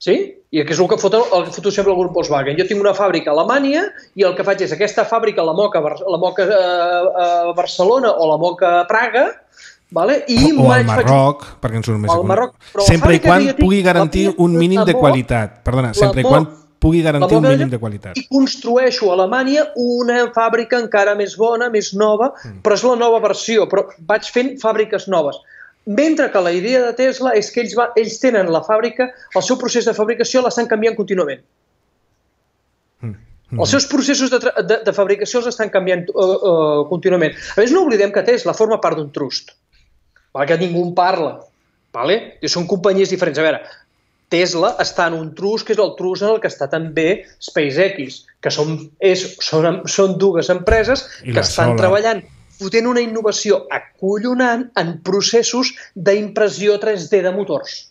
Sí? I que és el que foto sempre el grup Volkswagen. Jo tinc una fàbrica a Alemanya i el que faig és aquesta fàbrica la moca a Barcelona o la moca a Praga, o al Marroc, perquè ens surt més econòmic. Sempre i quan pugui garantir un mínim de qualitat. Perdona, sempre i quan pugui garantir un mínim de qualitat. I construeixo a Alemanya una fàbrica encara més bona, més nova, però és la nova versió, però vaig fent fàbriques noves. Mentre que la idea de Tesla és que ells tenen la fàbrica, el seu procés de fabricació l'estan canviant contínuament. Els seus processos de fabricació els estan canviant contínuament. A més, no oblidem que Tesla forma part d'un trust, que ningú en parla. Són companyies diferents. A veure, Tesla està en un trust, que és el trust en el que està també SpaceX, que són dues empreses que estan treballant fotent una innovació acollonant en processos d'impressió 3D de motors.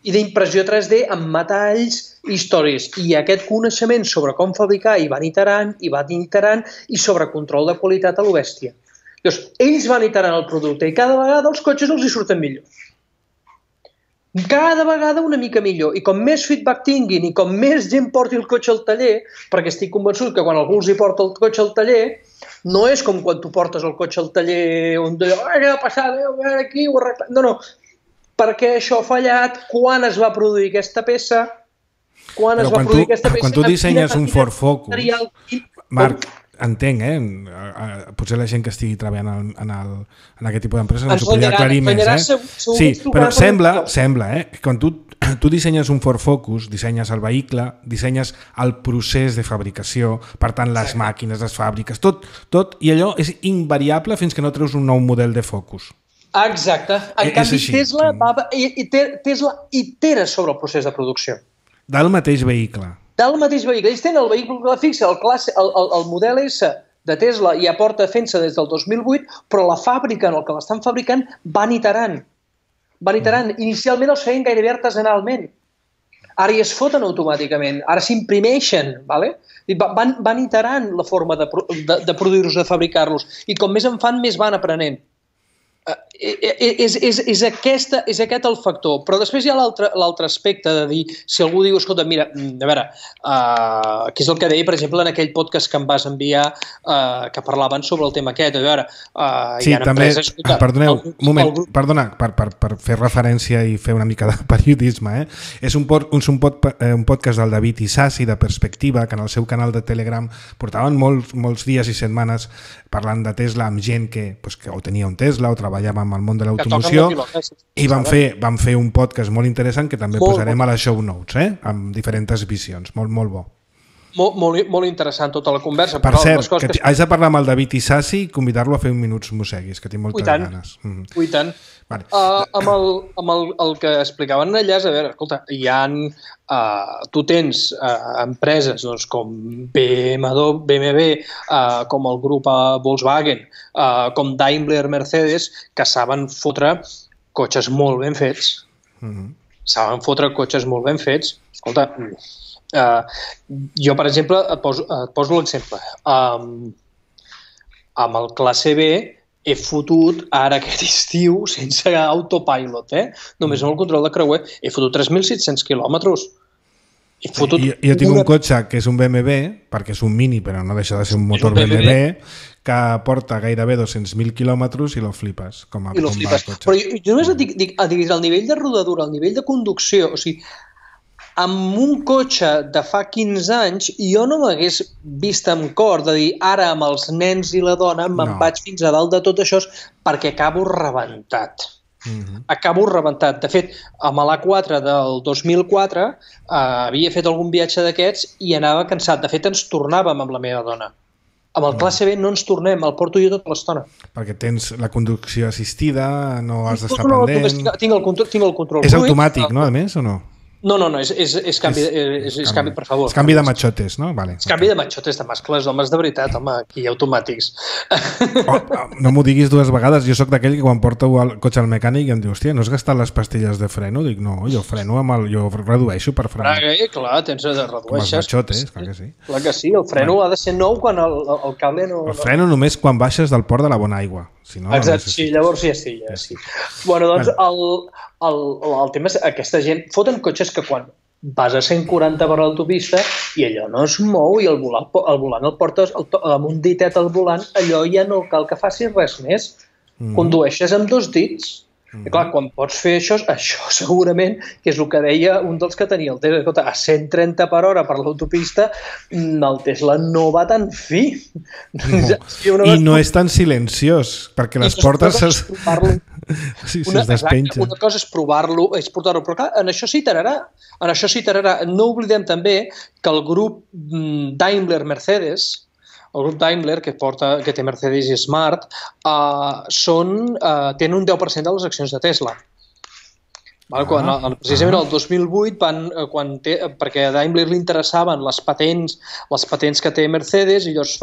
I d'impressió 3D amb metalls i històries. I aquest coneixement sobre com fabricar i van iterant i sobre control de qualitat a lo bèstia. Llavors, ells van iterant el producte i cada vegada els cotxes els hi surten millor. Cada vegada una mica millor. I com més feedback tinguin i com més gent porti el cotxe al taller, perquè estic convençut que quan algú els hi porta el cotxe al taller, no és com quan tu portes el cotxe al taller on dius, què ha passat, a veure aquí, ho arreglat. No, perquè això ha fallat, quan es va produir aquesta peça, quan tu dissenyes un Ford Focus, Marc, entenc, potser la gent que estigui treballant en aquest tipus d'empresa no s'ho podria aclarir més. Sí, però sembla que quan tu dissenyes un Ford Focus, dissenyes el vehicle, dissenyes el procés de fabricació, per tant les màquines, les fàbriques, tot, i allò és invariable fins que no treus un nou model de Focus. Exacte. En canvi, Tesla itera sobre el procés de producció. Del mateix vehicle. del mateix vehicle. Ells tenen el vehicle fixe, el model S de Tesla ja porta fent-se des del 2008, però la fàbrica en el que l'estan fabricant van iterant. Inicialment els feien gairebé artesanalment. Ara ja es foten automàticament, ara s'imprimeixen, ¿vale? Van iterant la forma de produir-los, de fabricar-los, i com més en fan, més van aprenent. És aquest el factor. Però després hi ha l'altre aspecte de dir, si algú diu, escolta, mira, a veure, què és el que deia, per exemple, en aquell podcast que em vas enviar que parlaven sobre el tema aquest, a veure, hi ha empreses... Perdoneu, un moment, perdona, per fer referència i fer una mica de periodisme, és un podcast del David Isasi, de Perspectiva, que en el seu canal de Telegram portaven molts dies i setmanes parlant de Tesla amb gent que o tenia un Tesla o treballava amb el món de l'automoció, i van fer un podcast molt interessant que també posarem a les show notes, amb diferents visions. Molt bo. Molt interessant tota la conversa. Per cert, que haig de parlar amb el David Isasi i convidar-lo a fer un Minuts Mosseguis, que tinc moltes ganes. I tant. Vale. Amb el que explicaven allà, a veure, escolta, tu tens empreses com BMW, com el grup Volkswagen, com Daimler, Mercedes, que saben fotre cotxes molt ben fets. Escolta, jo, per exemple, et poso l'exemple. Amb el classe B he fotut ara aquest estiu, sense autopilot, només amb el control de creuer, he fotut 3.700 quilòmetres. Jo tinc un cotxe que és un BMW, perquè és un Mini, però no deixa de ser un motor BMW, que porta gairebé 200.000 quilòmetres i lo flipes. Però jo només et dic, el nivell de rodadura, el nivell de conducció, o sigui, amb un cotxe de fa 15 anys jo no m'hagués vist amb cor de dir ara amb els nens i la dona me'n vaig fins a dalt de tot això perquè acabo rebentat. Acabo rebentat. De fet, amb l'A4 del 2004 havia fet algun viatge d'aquests i anava cansat. De fet, ens tornàvem amb la meva dona. Amb el classe B no ens tornem, el porto jo tota l'estona. Perquè tens la conducció assistida, no has d'estar pendent... Tinc el control. És automàtic, no, a més, o no? No, és canvi, per favor. És canvi de machotes, no? Vale. És canvi de machotes, de mascles, homes de veritat, home, aquí automàtics. No m'ho diguis dues vegades, jo sóc d'aquell que quan porto el cotxe al mecànic i em diu, hòstia, no has gastat les pastilles de freno? Dic, no, jo freno jo redueixo per frenar. Clar, tens de redueixes. Com els machotes, clar que sí. Clar que sí, el freno ha de ser nou quan el cable no... El freno només quan baixes del port de la bona aigua. Exacte, sí, llavors ja sí. Bueno, doncs el tema és aquesta gent foten cotxes que quan vas a 140 per l'autopista i allò no es mou i el volant el portes amb un ditet al volant, allò ja no cal que facis res més. Condueixes amb 2 dits. I clar, quan pots fer això segurament, que és el que deia un dels que tenia el Tesla, escolta, a 130 per hora per l'autopista, el Tesla no va tan fi. I no és tan silenciós, perquè les portes es despengen. Una cosa és provar-lo, és portar-lo, però clar, en això s'iterarà. No oblidem també que el grup Daimler-Mercedes, el grup Daimler, que té Mercedes i Smart, tenen un 10% de les accions de Tesla. Precisament el 2008, perquè a Daimler li interessaven les patents que té Mercedes, i llavors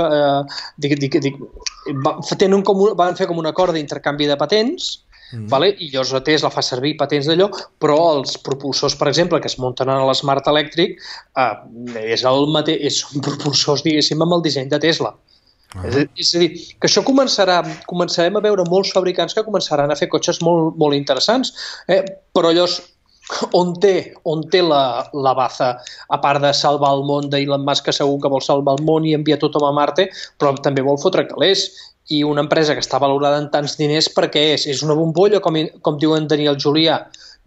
van fer com un acord d'intercanvi de patents, i llavors la Tesla fa servir patents d'allò, però els propulsors, per exemple, que es munten a l'Smart Electric, són propulsors, diguéssim, amb el disseny de Tesla. És a dir, que això començarem a veure molts fabricants que començaran a fer cotxes molt, molt interessants, però llavors on té la baza, a part de salvar el món d'Elon Musk, que segur que vol salvar el món i enviar tothom a Marte, però també vol fotre calés. I una empresa que està valorada en tants diners, per què és? És una bombolla, com diuen Daniel Julià?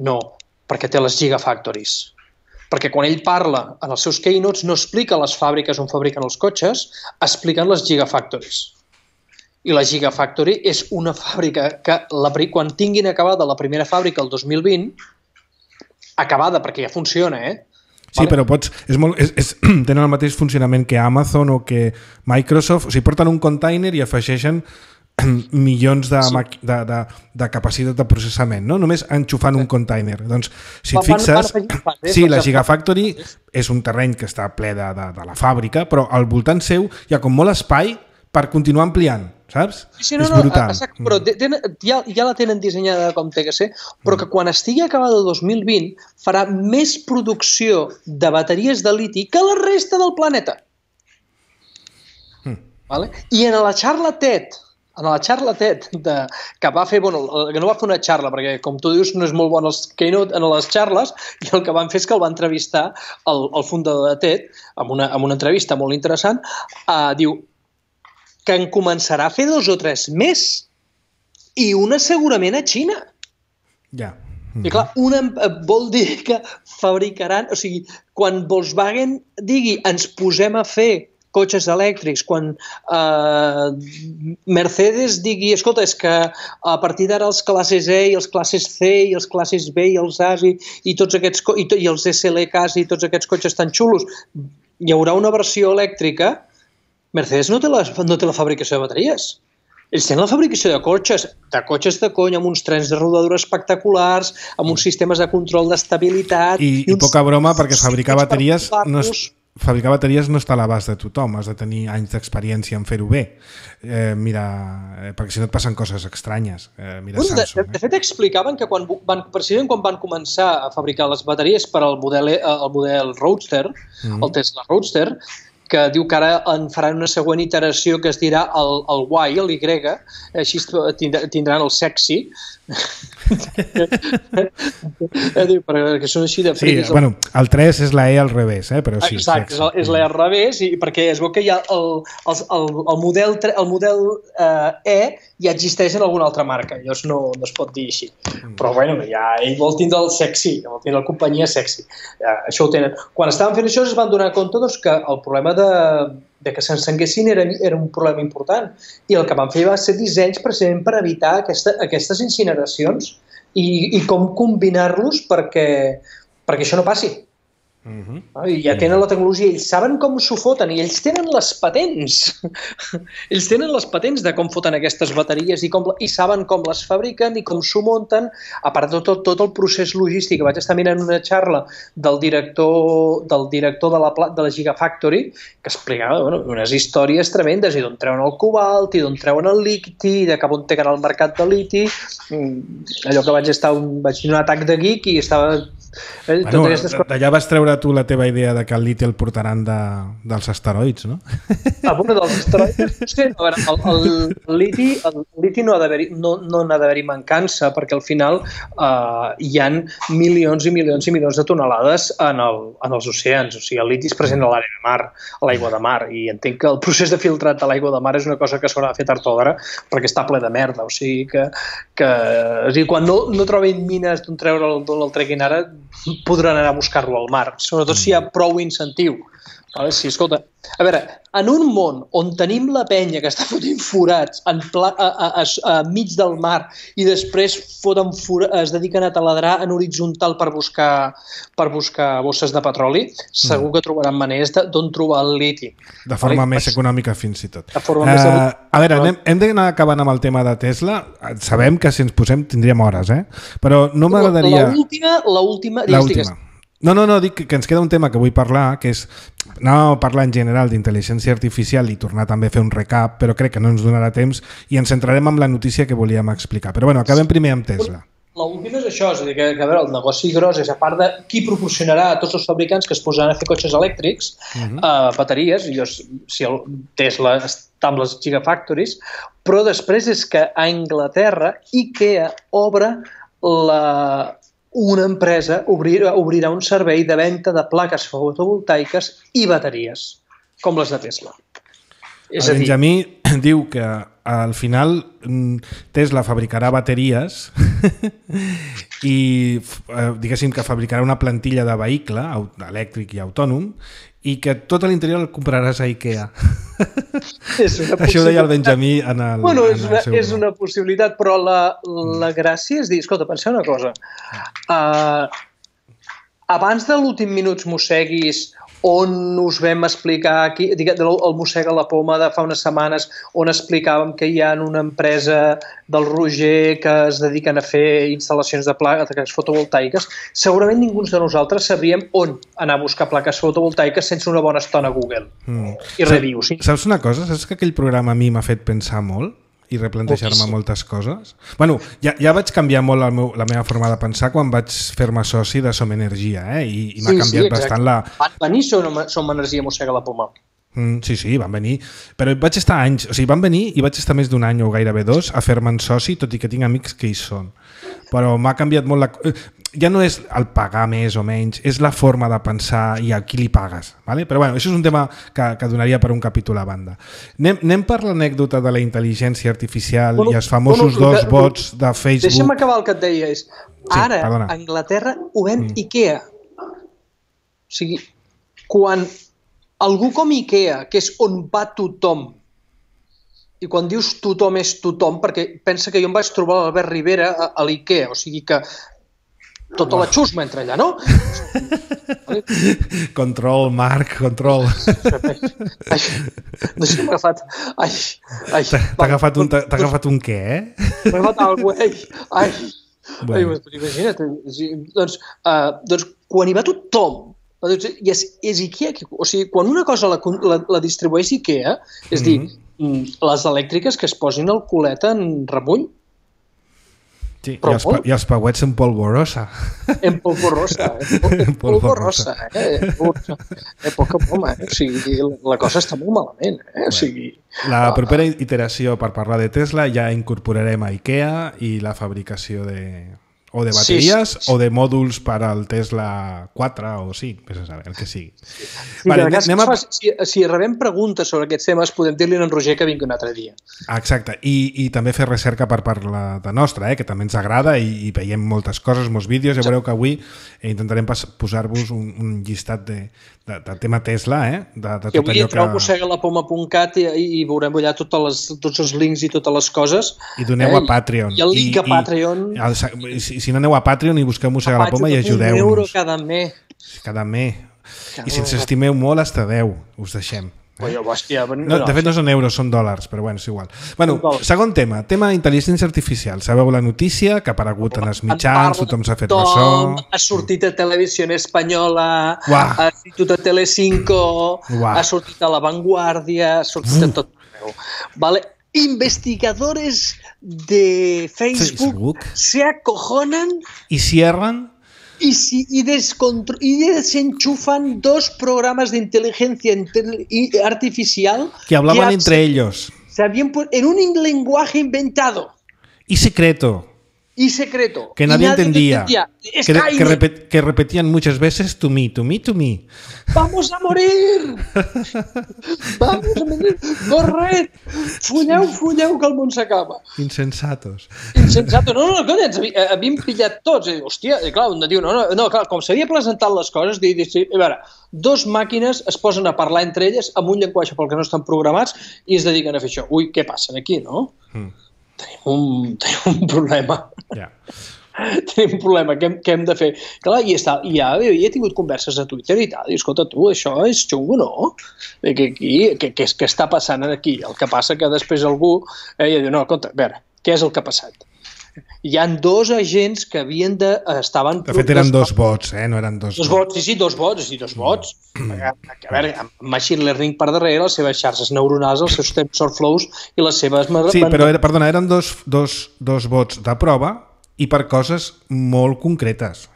No, perquè té les Gigafactories. Perquè quan ell parla en els seus keynotes no explica les fàbriques on fabriquen els cotxes, expliquen les Gigafactories. I la Gigafactory és una fàbrica que quan tinguin acabada la primera fàbrica el 2020, acabada perquè ja funciona, Sí, però tenen el mateix funcionament que Amazon o que Microsoft. O sigui, porten un container i afegeixen milions de capacitat de processament, no? Només enxufant un container. Doncs, si et fixes, sí, la Gigafactory és un terreny que està ple de la fàbrica, però al voltant seu hi ha com molt espai per continuar ampliant, saps? Sí, és brutal. Exacte, però ja la tenen dissenyada com té que ser, però que quan estigui acabada el 2020 farà més producció de bateries de liti que la resta del planeta. Vale? I en la xarla TED que va fer, que no va fer una xarra, perquè com tu dius no és molt bon els keynote en les xarles, i el que van fer és que el va entrevistar el fundador de TED amb una entrevista molt interessant, diu que en començarà a fer 2 o 3 més, i una segurament a Xina. Ja. I clar, vol dir que fabricaran, o sigui, quan Volkswagen digui ens posem a fer cotxes elèctrics, quan Mercedes digui, escolta, és que a partir d'ara els classes E i els classes C i els classes B i els As i tots aquests, i els SLKs i tots aquests cotxes tan xulos, hi haurà una versió elèctrica. Mercedes no té la fabricació de bateries. Ells tenen la fabricació de cotxes de cony, amb uns trens de rodadura espectaculars, amb uns sistemes de control d'estabilitat... I poca broma, perquè fabricar bateries no està a l'abast de tothom, has de tenir anys d'experiència en fer-ho bé. Perquè si no et passen coses estranyes. Samsung. De fet, explicaven que precisament quan van començar a fabricar les bateries per al model Roadster, el Tesla Roadster, que diu que ara en faran una següent iteració que es dirà el Y, el Y, així tindran el sexy. Perquè són així de friquis. Sí, el 3 és la E al revés, però sí. Exacte, és la E al revés, perquè es veu que ja el model E ja existeix en alguna altra marca, llavors no es pot dir així. Però bueno, ja ell vol tindre el sexy, vol tindre la companyia sexy. Això ho tenen. Quan estaven fent això es van donar compte que el problema de que s'encenguessin era un problema important, i el que van fer va ser dissenys precisament per evitar aquestes incineracions i com combinar-los perquè això no passi. I ja tenen la tecnologia, ells saben com s'ho foten i ells tenen les patents. Ells tenen les patents de com foten aquestes bateries i saben com les fabriquen i com s'ho munten, a part de tot el procés logístic. Vaig estar mirant una xarra del director de la Gigafactory que explicava unes històries tremendes, i d'on treuen el cobalt, i d'on treuen el liti, i de cap on tenen el mercat de liti. Allò que vaig tenir un atac de geek i estava... D'allà vas treure tu la teva idea de que el liti el portaran dels asteroids, no? Dels asteroids, no sé, el liti no n'ha d'haver-hi mancança, perquè al final hi ha milions i milions i milions de tonelades en els oceans. O sigui, el liti és present a l'àrea de mar, a l'aigua de mar, i entenc que el procés de filtrat de l'aigua de mar és una cosa que s'haurà de fer tard o d'hora perquè està ple de merda. O sigui que quan no trobin mines d'on el treguin ara, podran anar a buscar-lo al mar, sobretot si hi ha prou incentiu. Sí, escolta, a veure, en un món on tenim la penya que està fotent forats mig del mar i després es dediquen a taladrar en horitzontal per buscar bosses de petroli, segur que trobaran maneres d'on trobar el liti. De forma més econòmica, fins i tot. A veure, hem d'anar acabant amb el tema de Tesla. Sabem que si ens posem tindríem hores, però no m'agradaria... L'última... No, dic que ens queda un tema que vull parlar, que és anar a parlar en general d'intel·ligència artificial i tornar també a fer un recap, però crec que no ens donarà temps i ens centrarem en la notícia que volíem explicar. Però bueno, acabem primer amb Tesla. L'últim és això, és a dir, que a veure, el negoci gros és, a part de qui proporcionarà a tots els fabricants que es posaran a fer cotxes elèctrics, bateries, si el Tesla està amb les Gigafactories, però després és que a Anglaterra IKEA obre una empresa obrirà un servei de venda de plaques fotovoltaiques i bateries, com les de Tesla. El Benjamí diu que al final Tesla fabricarà bateries i diguéssim que fabricarà una plantilla de vehicle elèctric i autònom i que tot a l'interior el compraràs a IKEA. Això ho deia el Benjamí en el seu... És una possibilitat, però la gràcia és dir, escolta, penseu una cosa, abans de l'últim minut mosseguis on us vam explicar, el Mossega la Poma de fa unes setmanes, on explicàvem que hi ha una empresa del Roger que es dediquen a fer instal·lacions de plaques fotovoltaiques, segurament ningú de nosaltres sabríem on anar a buscar plaques fotovoltaiques sense una bona estona a Google. I reviews. Saps una cosa? Saps que aquell programa a mi m'ha fet pensar molt? I replantejar-me moltes coses. Bueno, ja vaig canviar molt la meva forma de pensar quan vaig fer-me soci de Som Energia, i m'ha canviat bastant la... Van venir Som Energia Mossega la Poma. Sí, van venir. Però vaig estar anys, o sigui, van venir i vaig estar més d'un any o gairebé 2 a fer-me'n soci, tot i que tinc amics que hi són. Però m'ha canviat molt la... Ja no és el pagar més o menys, és la forma de pensar i a qui li pagues. ¿vale? Però bueno, això és un tema que donaria per un capítol a banda. Anem per l'anècdota de la intel·ligència artificial i els famosos dos bots de Facebook. Deixa'm acabar el que et deia. Ara, a Anglaterra, ho ven IKEA. O sigui, quan algú com IKEA, que és on va tothom, i quan dius tothom és tothom, perquè pensa que jo em vaig trobar l'Albert Rivera a l'IKEA, o sigui que tota la xusma entra allà, no? Control, Marc, control. No sé, m'ha agafat... T'ha agafat un què, M'ha agafat alguna cosa, imagina't. Doncs quan hi va tothom, i és IKEA, o sigui, quan una cosa la distribueix IKEA, és dir, les elèctriques que es posin el culet en remull. Sí, i els pauets en polvorosa. En polvorosa. Poca broma, o sigui, la cosa està molt malament. O sigui... La propera iteració per parlar de Tesla ja incorporarem a IKEA i la fabricació de bateries o de mòduls per al Tesla 4 o 5, el que sigui. Si rebem preguntes sobre aquests temes, podem dir-li a en Roger que vingui un altre dia. Exacte, i també fer recerca per part de nostra, que també ens agrada i veiem moltes coses, molts vídeos. Ja veureu que avui intentarem posar-vos un llistat de tema Tesla, de tot allò que... Avui entreu a mossegalapoma.cat i veurem allà tots els links i totes les coses. I doneu a Patreon. I el link a Patreon... Si no aneu a Patreon i busqueu Mossega la Poma i ajudeu-nos. Cada mes. Cada mes. I si ens estimeu molt, hasta 10 us deixem. De fet no són euros, són dòlars, però bueno, és igual. Bueno, segon tema intel·ligència artificial. Sabeu la notícia que ha aparegut en els mitjans, tothom s'ha fet ressò. Ha sortit a Televisió Espanyola, ha sortit a Telecinco, ha sortit a La Vanguardia, ha sortit a tot arreu. Investigadores de Facebook se acojonan y cierran y desenchufan 2 programas de inteligencia artificial que hablaban entre ellos en un lenguaje inventado y secreto que nadie entendía. Que repetían muchas veces to me. ¡Vamos a morir! Corred! Fulleu, que el món s'acaba. Insensatos. No, conya, ens havíem pillat tots. Hòstia, clar, un diu, clar, com s'havia presentat les coses, a veure, 2 màquines es posen a parlar entre elles amb un llenguatge pel que no estan programats i es dediquen a fer això. Ui, què passa aquí, no? Tenim un problema. Tenim un problema, què hem de fer? Clar, i ja he tingut converses a Twitter i tal, i escolta, tu, això és xungo, no? Què està passant aquí? El que passa que després algú diu, no, escolta, a veure, què és el que ha passat? Hi ha 2 agents que estaven... De fet, eren 2 bots, no eren 2 bots. Sí, 2 bots. A veure, amb machine learning per darrere, les seves xarxes neuronals, els seus TensorFlows i les seves... Sí, però eren dos bots de prova i per coses molt concretes,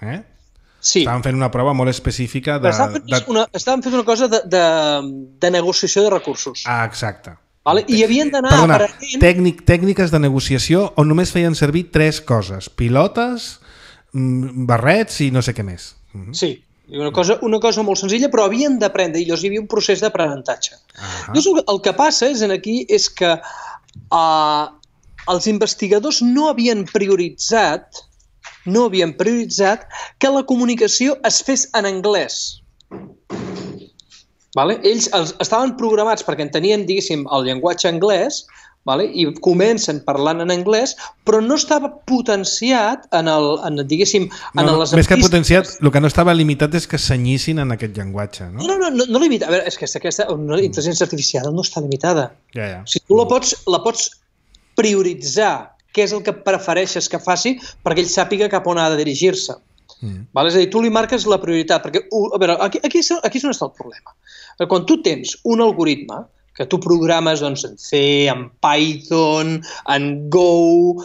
Sí. Estaven fent una prova molt específica de... Estaven fent una cosa de negociació de recursos. Ah, exacte. I havien d'anar aprenent... Tècniques de negociació on només feien servir 3 coses. Pilotes, barrets i no sé què més. Sí, una cosa molt senzilla, però havien d'aprendre, i llavors hi havia un procés d'aprenentatge. Llavors el que passa és que els investigadors no havien prioritzat que la comunicació es fes en anglès. Ells estaven programats perquè entenien, diguéssim, el llenguatge anglès, i comencen parlant en anglès, però no estava potenciat més que potenciat, el que no estava limitat és que senyissin en aquest llenguatge, no? No limita. A veure, és que aquesta intel·ligència artificial no està limitada. Si tu la pots prioritzar què és el que prefereixes que faci perquè ell sàpiga cap on ha de dirigir-se. És a dir, tu li marques la prioritat, perquè, a veure, aquí és on està el problema. Quan tu tens un algoritme que tu programes en C, en Python, en Go...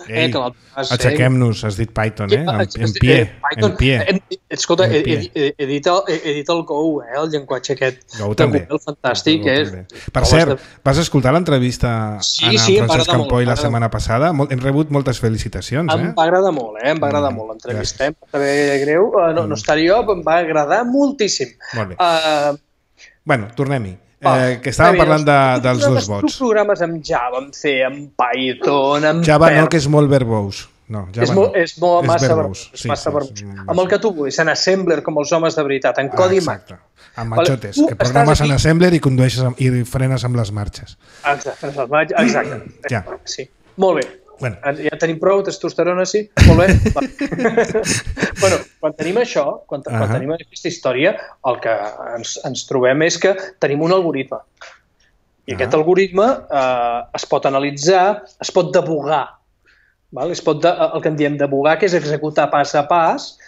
Aixequem-nos, has dit Python, en pie. Escolta, he dit el Go, el llenguatge aquest de Google, fantàstic. Per cert, vas escoltar l'entrevista a Francesc Campoy la setmana passada? Hem rebut moltes felicitacions. Em va agradar molt, l'entrevista. Em va saber greu, no estaré jo, em va agradar moltíssim. Molt bé. Bueno, tornem-hi. Que estàvem parlant dels dos vots. Tu programes amb Java, amb C, amb Python, amb Java no, que és molt verbós. No, és molt massa verbós. Amb el que tu vulguis, en Assembler, com els homes de veritat, en codi Mac. Amb machotes, que programes en Assembler i condueixes i frenes amb les marxes. Exacte. Sí. Molt bé. Bueno. Ja tenim prou, testosterona, sí? Molt bé. Quan tenim això, quan tenim aquesta història, el que ens trobem és que tenim un algoritme. I aquest algoritme es pot analitzar, es pot debugar. El que en diem debugar, que és executar pas a pas,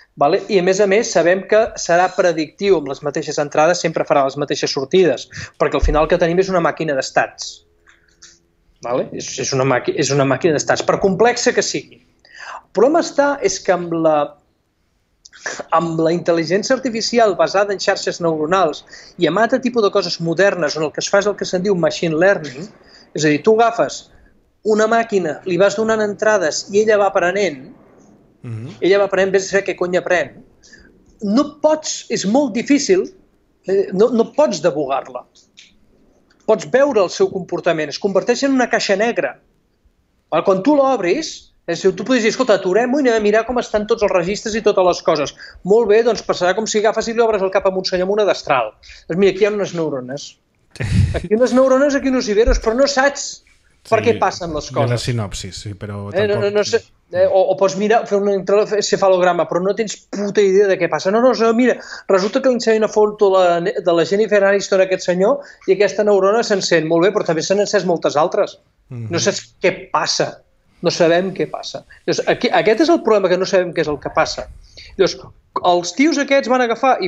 i a més sabem que serà predictiu amb les mateixes entrades, sempre farà les mateixes sortides, perquè al final el que tenim és una màquina d'estats. És una màquina d'estats, per complexa que sigui. El problema és que amb la intel·ligència artificial basada en xarxes neuronals i amb altre tipus de coses modernes on el que es fa és el que se'n diu machine learning, és a dir, tu agafes una màquina, li vas donant entrades i ella va aprenent, vés a saber què cony aprèn, és molt difícil, no pots debugar-la. Pots veure el seu comportament, es converteix en una caixa negra. Quan tu l'obris, tu podries dir, escolta, aturem-ho i anem a mirar com estan tots els registres i totes les coses. Molt bé, doncs passarà com si agafes i li obres el cap a un senyor amb una destral. Doncs mira, aquí hi ha unes neurones. Aquí hi ha unos iberos, però no saps per què passen les coses. Hi ha la sinopsis, sí, però tampoc... No sé, o pots mirar, fer un encefalograma, però no tens puta idea de què passa. No, mira, resulta que li ensenya una foto de la Jennifer Aniston a aquest senyor i aquesta neurona s'encén. Molt bé, però també s'han encès moltes altres. No saps què passa. No sabem què passa. Aquest és el problema, que no sabem què és el que passa. Els tios aquests van agafar i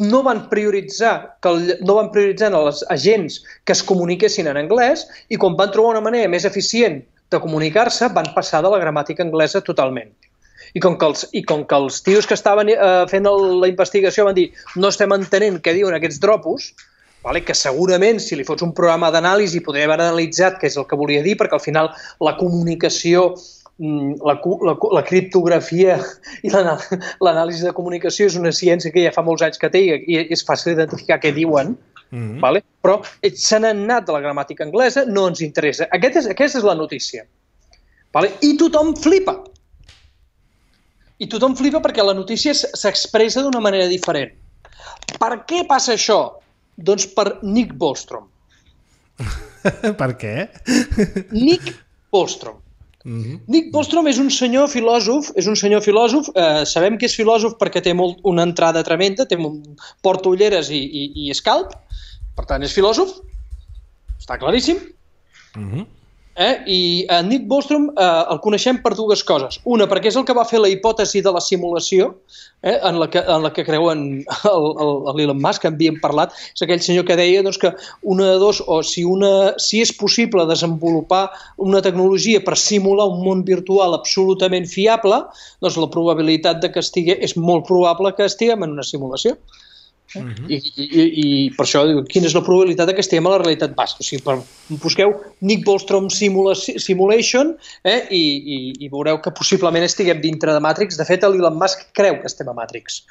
no van prioritzar en els agents que es comuniquessin en anglès i quan van trobar una manera més eficient de comunicar-se van passar de la gramàtica anglesa totalment. I com que els tios que estaven fent la investigació van dir no estem entenent què diuen aquests dropos, que segurament si li fots un programa d'anàlisi podria haver analitzat què és el que volia dir, perquè al final la comunicació, la criptografia i l'anàlisi de comunicació és una ciència que ja fa molts anys que té i és fàcil identificar què diuen, però se n'han anat de la gramàtica anglesa, no ens interessa. Aquesta és la notícia. I tothom flipa. I tothom flipa perquè la notícia s'expressa d'una manera diferent. Per què passa això? Doncs per Nick Bostrom. Per què? Nick Bostrom. Nick Bostrom és un senyor filòsof, sabem que és filòsof perquè té una entrada tremenda, porta ulleres i escalp, per tant és filòsof, està claríssim. I Nick Bostrom el coneixem per dues coses. Una, perquè és el que va fer la hipòtesi de la simulació, en la que creuen l'Elon Musk, que havíem parlat, és aquell senyor que deia que una de dos, o si és possible desenvolupar una tecnologia per simular un món virtual absolutament fiable, doncs la probabilitat de que és molt probable que estiguem en una simulació. I per això diu, quina és la probabilitat que estiguem a la realitat bàsica. O sigui, busqueu Nick Bostrom Simulation i veureu que possiblement estiguem dintre de Matrix. De fet, l'Elon Musk creu que estem a Matrix.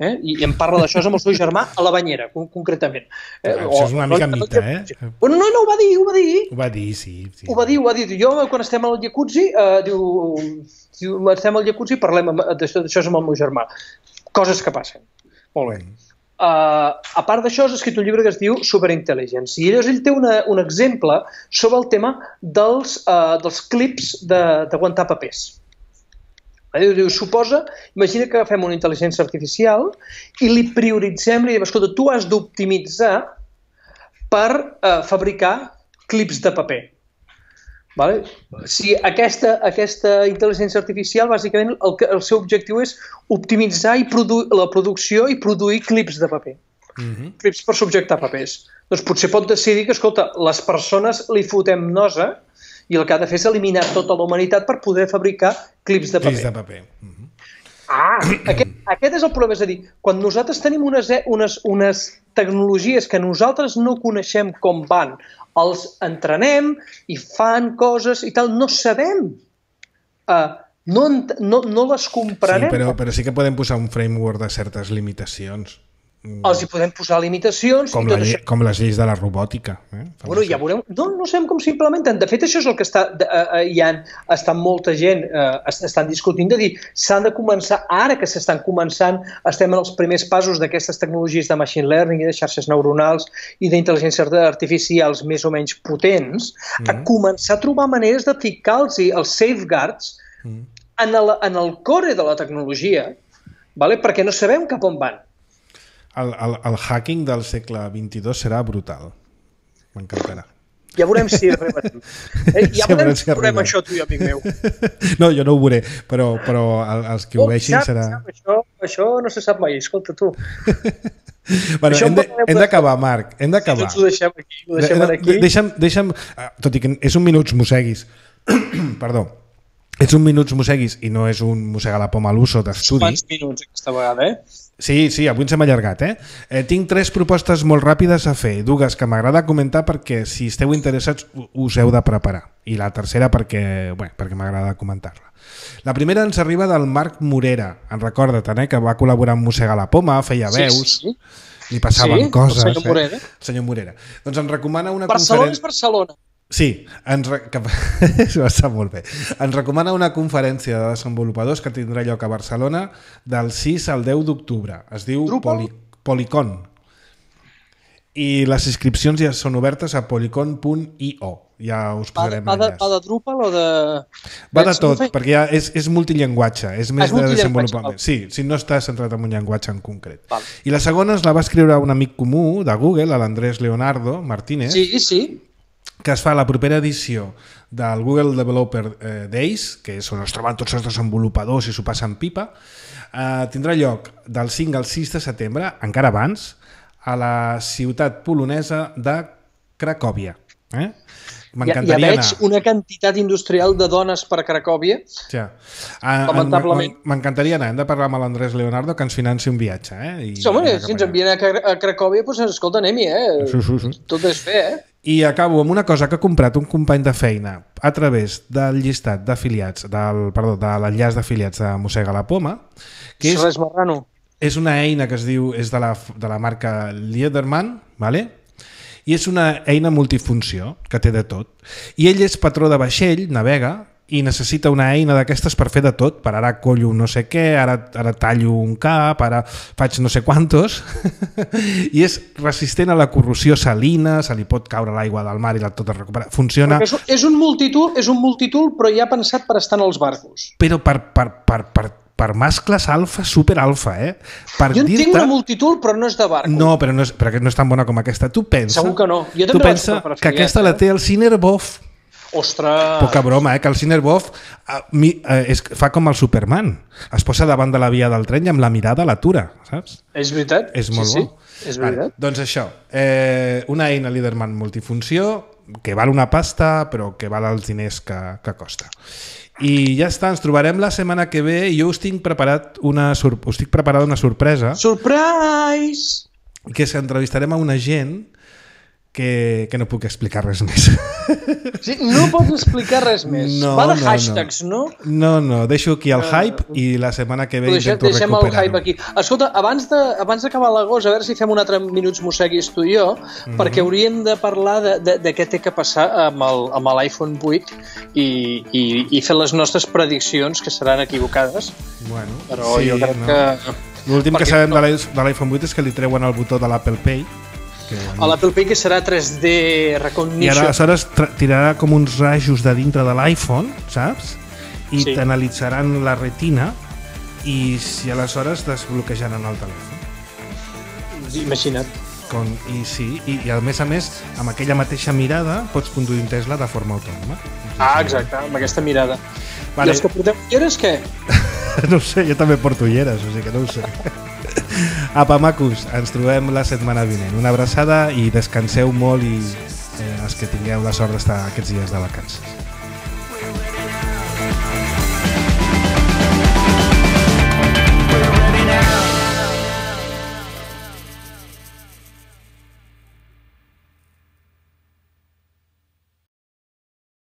I em parla d'això amb el seu germà a la banyera, concretament. Això és una mica mite, No, ho va dir. Ho va dir, sí. Ho va dir. Jo, quan estem al jacuzzi, estem al jacuzzi i parlem d'això amb el meu germà. Coses que passen. Molt bé. a part d'això, has escrit un llibre que es diu Superintelligence, i llavors ell té un exemple sobre el tema dels clips d'aguantar papers. Diu, imagina que agafem una intel·ligència artificial i li prioritzem, li diem, escolta, tu has d'optimitzar per fabricar clips de paper. Vale? Si aquesta intel·ligència artificial, bàsicament, el seu objectiu és optimitzar la producció i produir clips de paper. Clips per subjectar papers. Doncs potser pot decidir que, escolta, les persones li fotem nosa i el que ha de fer és eliminar tota la humanitat per poder fabricar clips de paper. Clips de paper. Aquest és el problema, és a dir, quan nosaltres tenim unes tecnologies que nosaltres no coneixem com van, els entrenem i fan coses i tal, no sabem, no les comprarem. Sí, però sí que podem posar un framework de certes limitacions. Els hi podem posar limitacions. Com les lleis de la robòtica. Bueno, ja veurem. No sabem com s'implementen. De fet, això és el que està molta gent estan discutint, de dir, s'han de començar, ara que s'estan començant, estem en els primers passos d'aquestes tecnologies de machine learning i de xarxes neuronals i d'intel·ligència artificials més o menys potents, a començar a trobar maneres de ficar-los els safeguards en el core de la tecnologia, perquè no sabem cap on van. El hacking del segle XXII serà brutal. M'encantarà. Ja veurem si arribarem. Ja veurem si veurem això, tu i amic meu. No, jo no ho veuré, però els que ho veixin serà... Això no se sap mai, escolta tu. Bueno, hem d'acabar, Marc, hem d'acabar. Doncs ho deixem aquí. Deixa'm, tot i que és un minuts mosseguis, perdó, és un minuts mosseguis i no és un mossegar la poma a l'uso d'estudi. Quants minuts aquesta vegada, Sí, avui ens hem allargat, tinc 3 propostes molt ràpides a fer, dues que m'agrada comentar perquè si esteu interessats us heu de preparar i la tercera perquè m'agrada comentar-la. La primera ens arriba del Marc Morera, en recorda-te'n, que va col·laborar amb Mossegar la Poma, feia veus, li passaven coses. El senyor Morera. Senyor Morera. Doncs ens recomana una Barcelona és Barcelona. Sí, està molt bé. Ens recomana una conferència de desenvolupadors que tindrà lloc a Barcelona del 6 al 10 d'octubre. Es diu Polycon. I les inscripcions ja són obertes a polycon.io. Ja us posarem l'enllaç. Va de Drupal o de... Va de tot, perquè ja és multillenguatge, és més de desenvolupament. Sí, si no està centrat en un llenguatge en concret. I la segona la va escriure un amic comú de Google, l'Andrés Leonardo Martínez. Sí. Que es fa la propera edició del Google Developer Days, que és on es troben tots els desenvolupadors i s'ho passen pipa, tindrà lloc del 5 al 6 de setembre, encara abans, a la ciutat polonesa de Cracòvia. Ja veig una quantitat industrial de dones per Cracòvia. Lamentablement. M'encantaria anar. Hem de parlar amb l'Andrés Leonardo que ens financi un viatge. Si ens envien a Cracòvia, doncs escolta, anem-hi. Tot és fer, I acabo amb una cosa que ha comprat un company de feina a través del llistat d'afiliats, de l'enllaç d'afiliats de Mossega la Poma, que és una eina que es diu, és de la marca Liederman, i és una eina multifunció que té de tot. I ell és patró de vaixell, navega, i necessita una eina d'aquestes per fer de tot, per ara collo no sé què, ara tallo un cap, ara faig no sé quantos, i és resistent a la corrosió salina, se li pot caure l'aigua del mar i tot es recupera. Funciona... És un multitool, però ja pensat per estar en els barcos. Però per mascles alfa, super alfa, jo en tinc una multitool, però no és de barco. No, però no és tan bona com aquesta. Tu pensa... Segur que no. Tu pensa que aquesta la té el Cinerbov. Ostres! Poca broma, que el Cinerbov fa com el Superman. Es posa davant de la via del tren i amb la mirada l'atura, saps? És veritat. És molt bo. És veritat. Doncs això, una eina Liederman multifunció que val una pasta però que val els diners que costa. I ja està, ens trobarem la setmana que ve i jo us estic preparada una sorpresa. Surprise! Que entrevistarem a una gent que no puc explicar res més. Sí, no pots explicar res més. Va de hashtags, no? No, deixo aquí el hype i la setmana que ve intento recuperar-ho. Deixem el hype aquí. Escolta, abans d'acabar l'agost, a veure si fem un altre Minuts Mosseguis tu i jo, perquè hauríem de parlar de què té que passar amb l'iPhone 8 i fer les nostres prediccions, que seran equivocades. Bueno, però jo crec que... L'últim que sabem de l'iPhone 8 és que li treuen el botó de l'Apple Pay. A l'Apple Pay, que serà 3D Recognition. I aleshores tirarà com uns rajos de dintre de l'iPhone, saps? I t'analitzaran la retina i si aleshores desbloquejaran el telèfon. Imagina't. I a més, amb aquella mateixa mirada pots conduir un Tesla de forma autònoma. Exacte, amb aquesta mirada. I els que portem ulleres, què? No ho sé, jo també porto ulleres, o sigui que no ho sé. Apa, macos, ens trobem la setmana vinent. Una abraçada i descanseu molt i els que tingueu la sort d'estar aquests dies de vacances.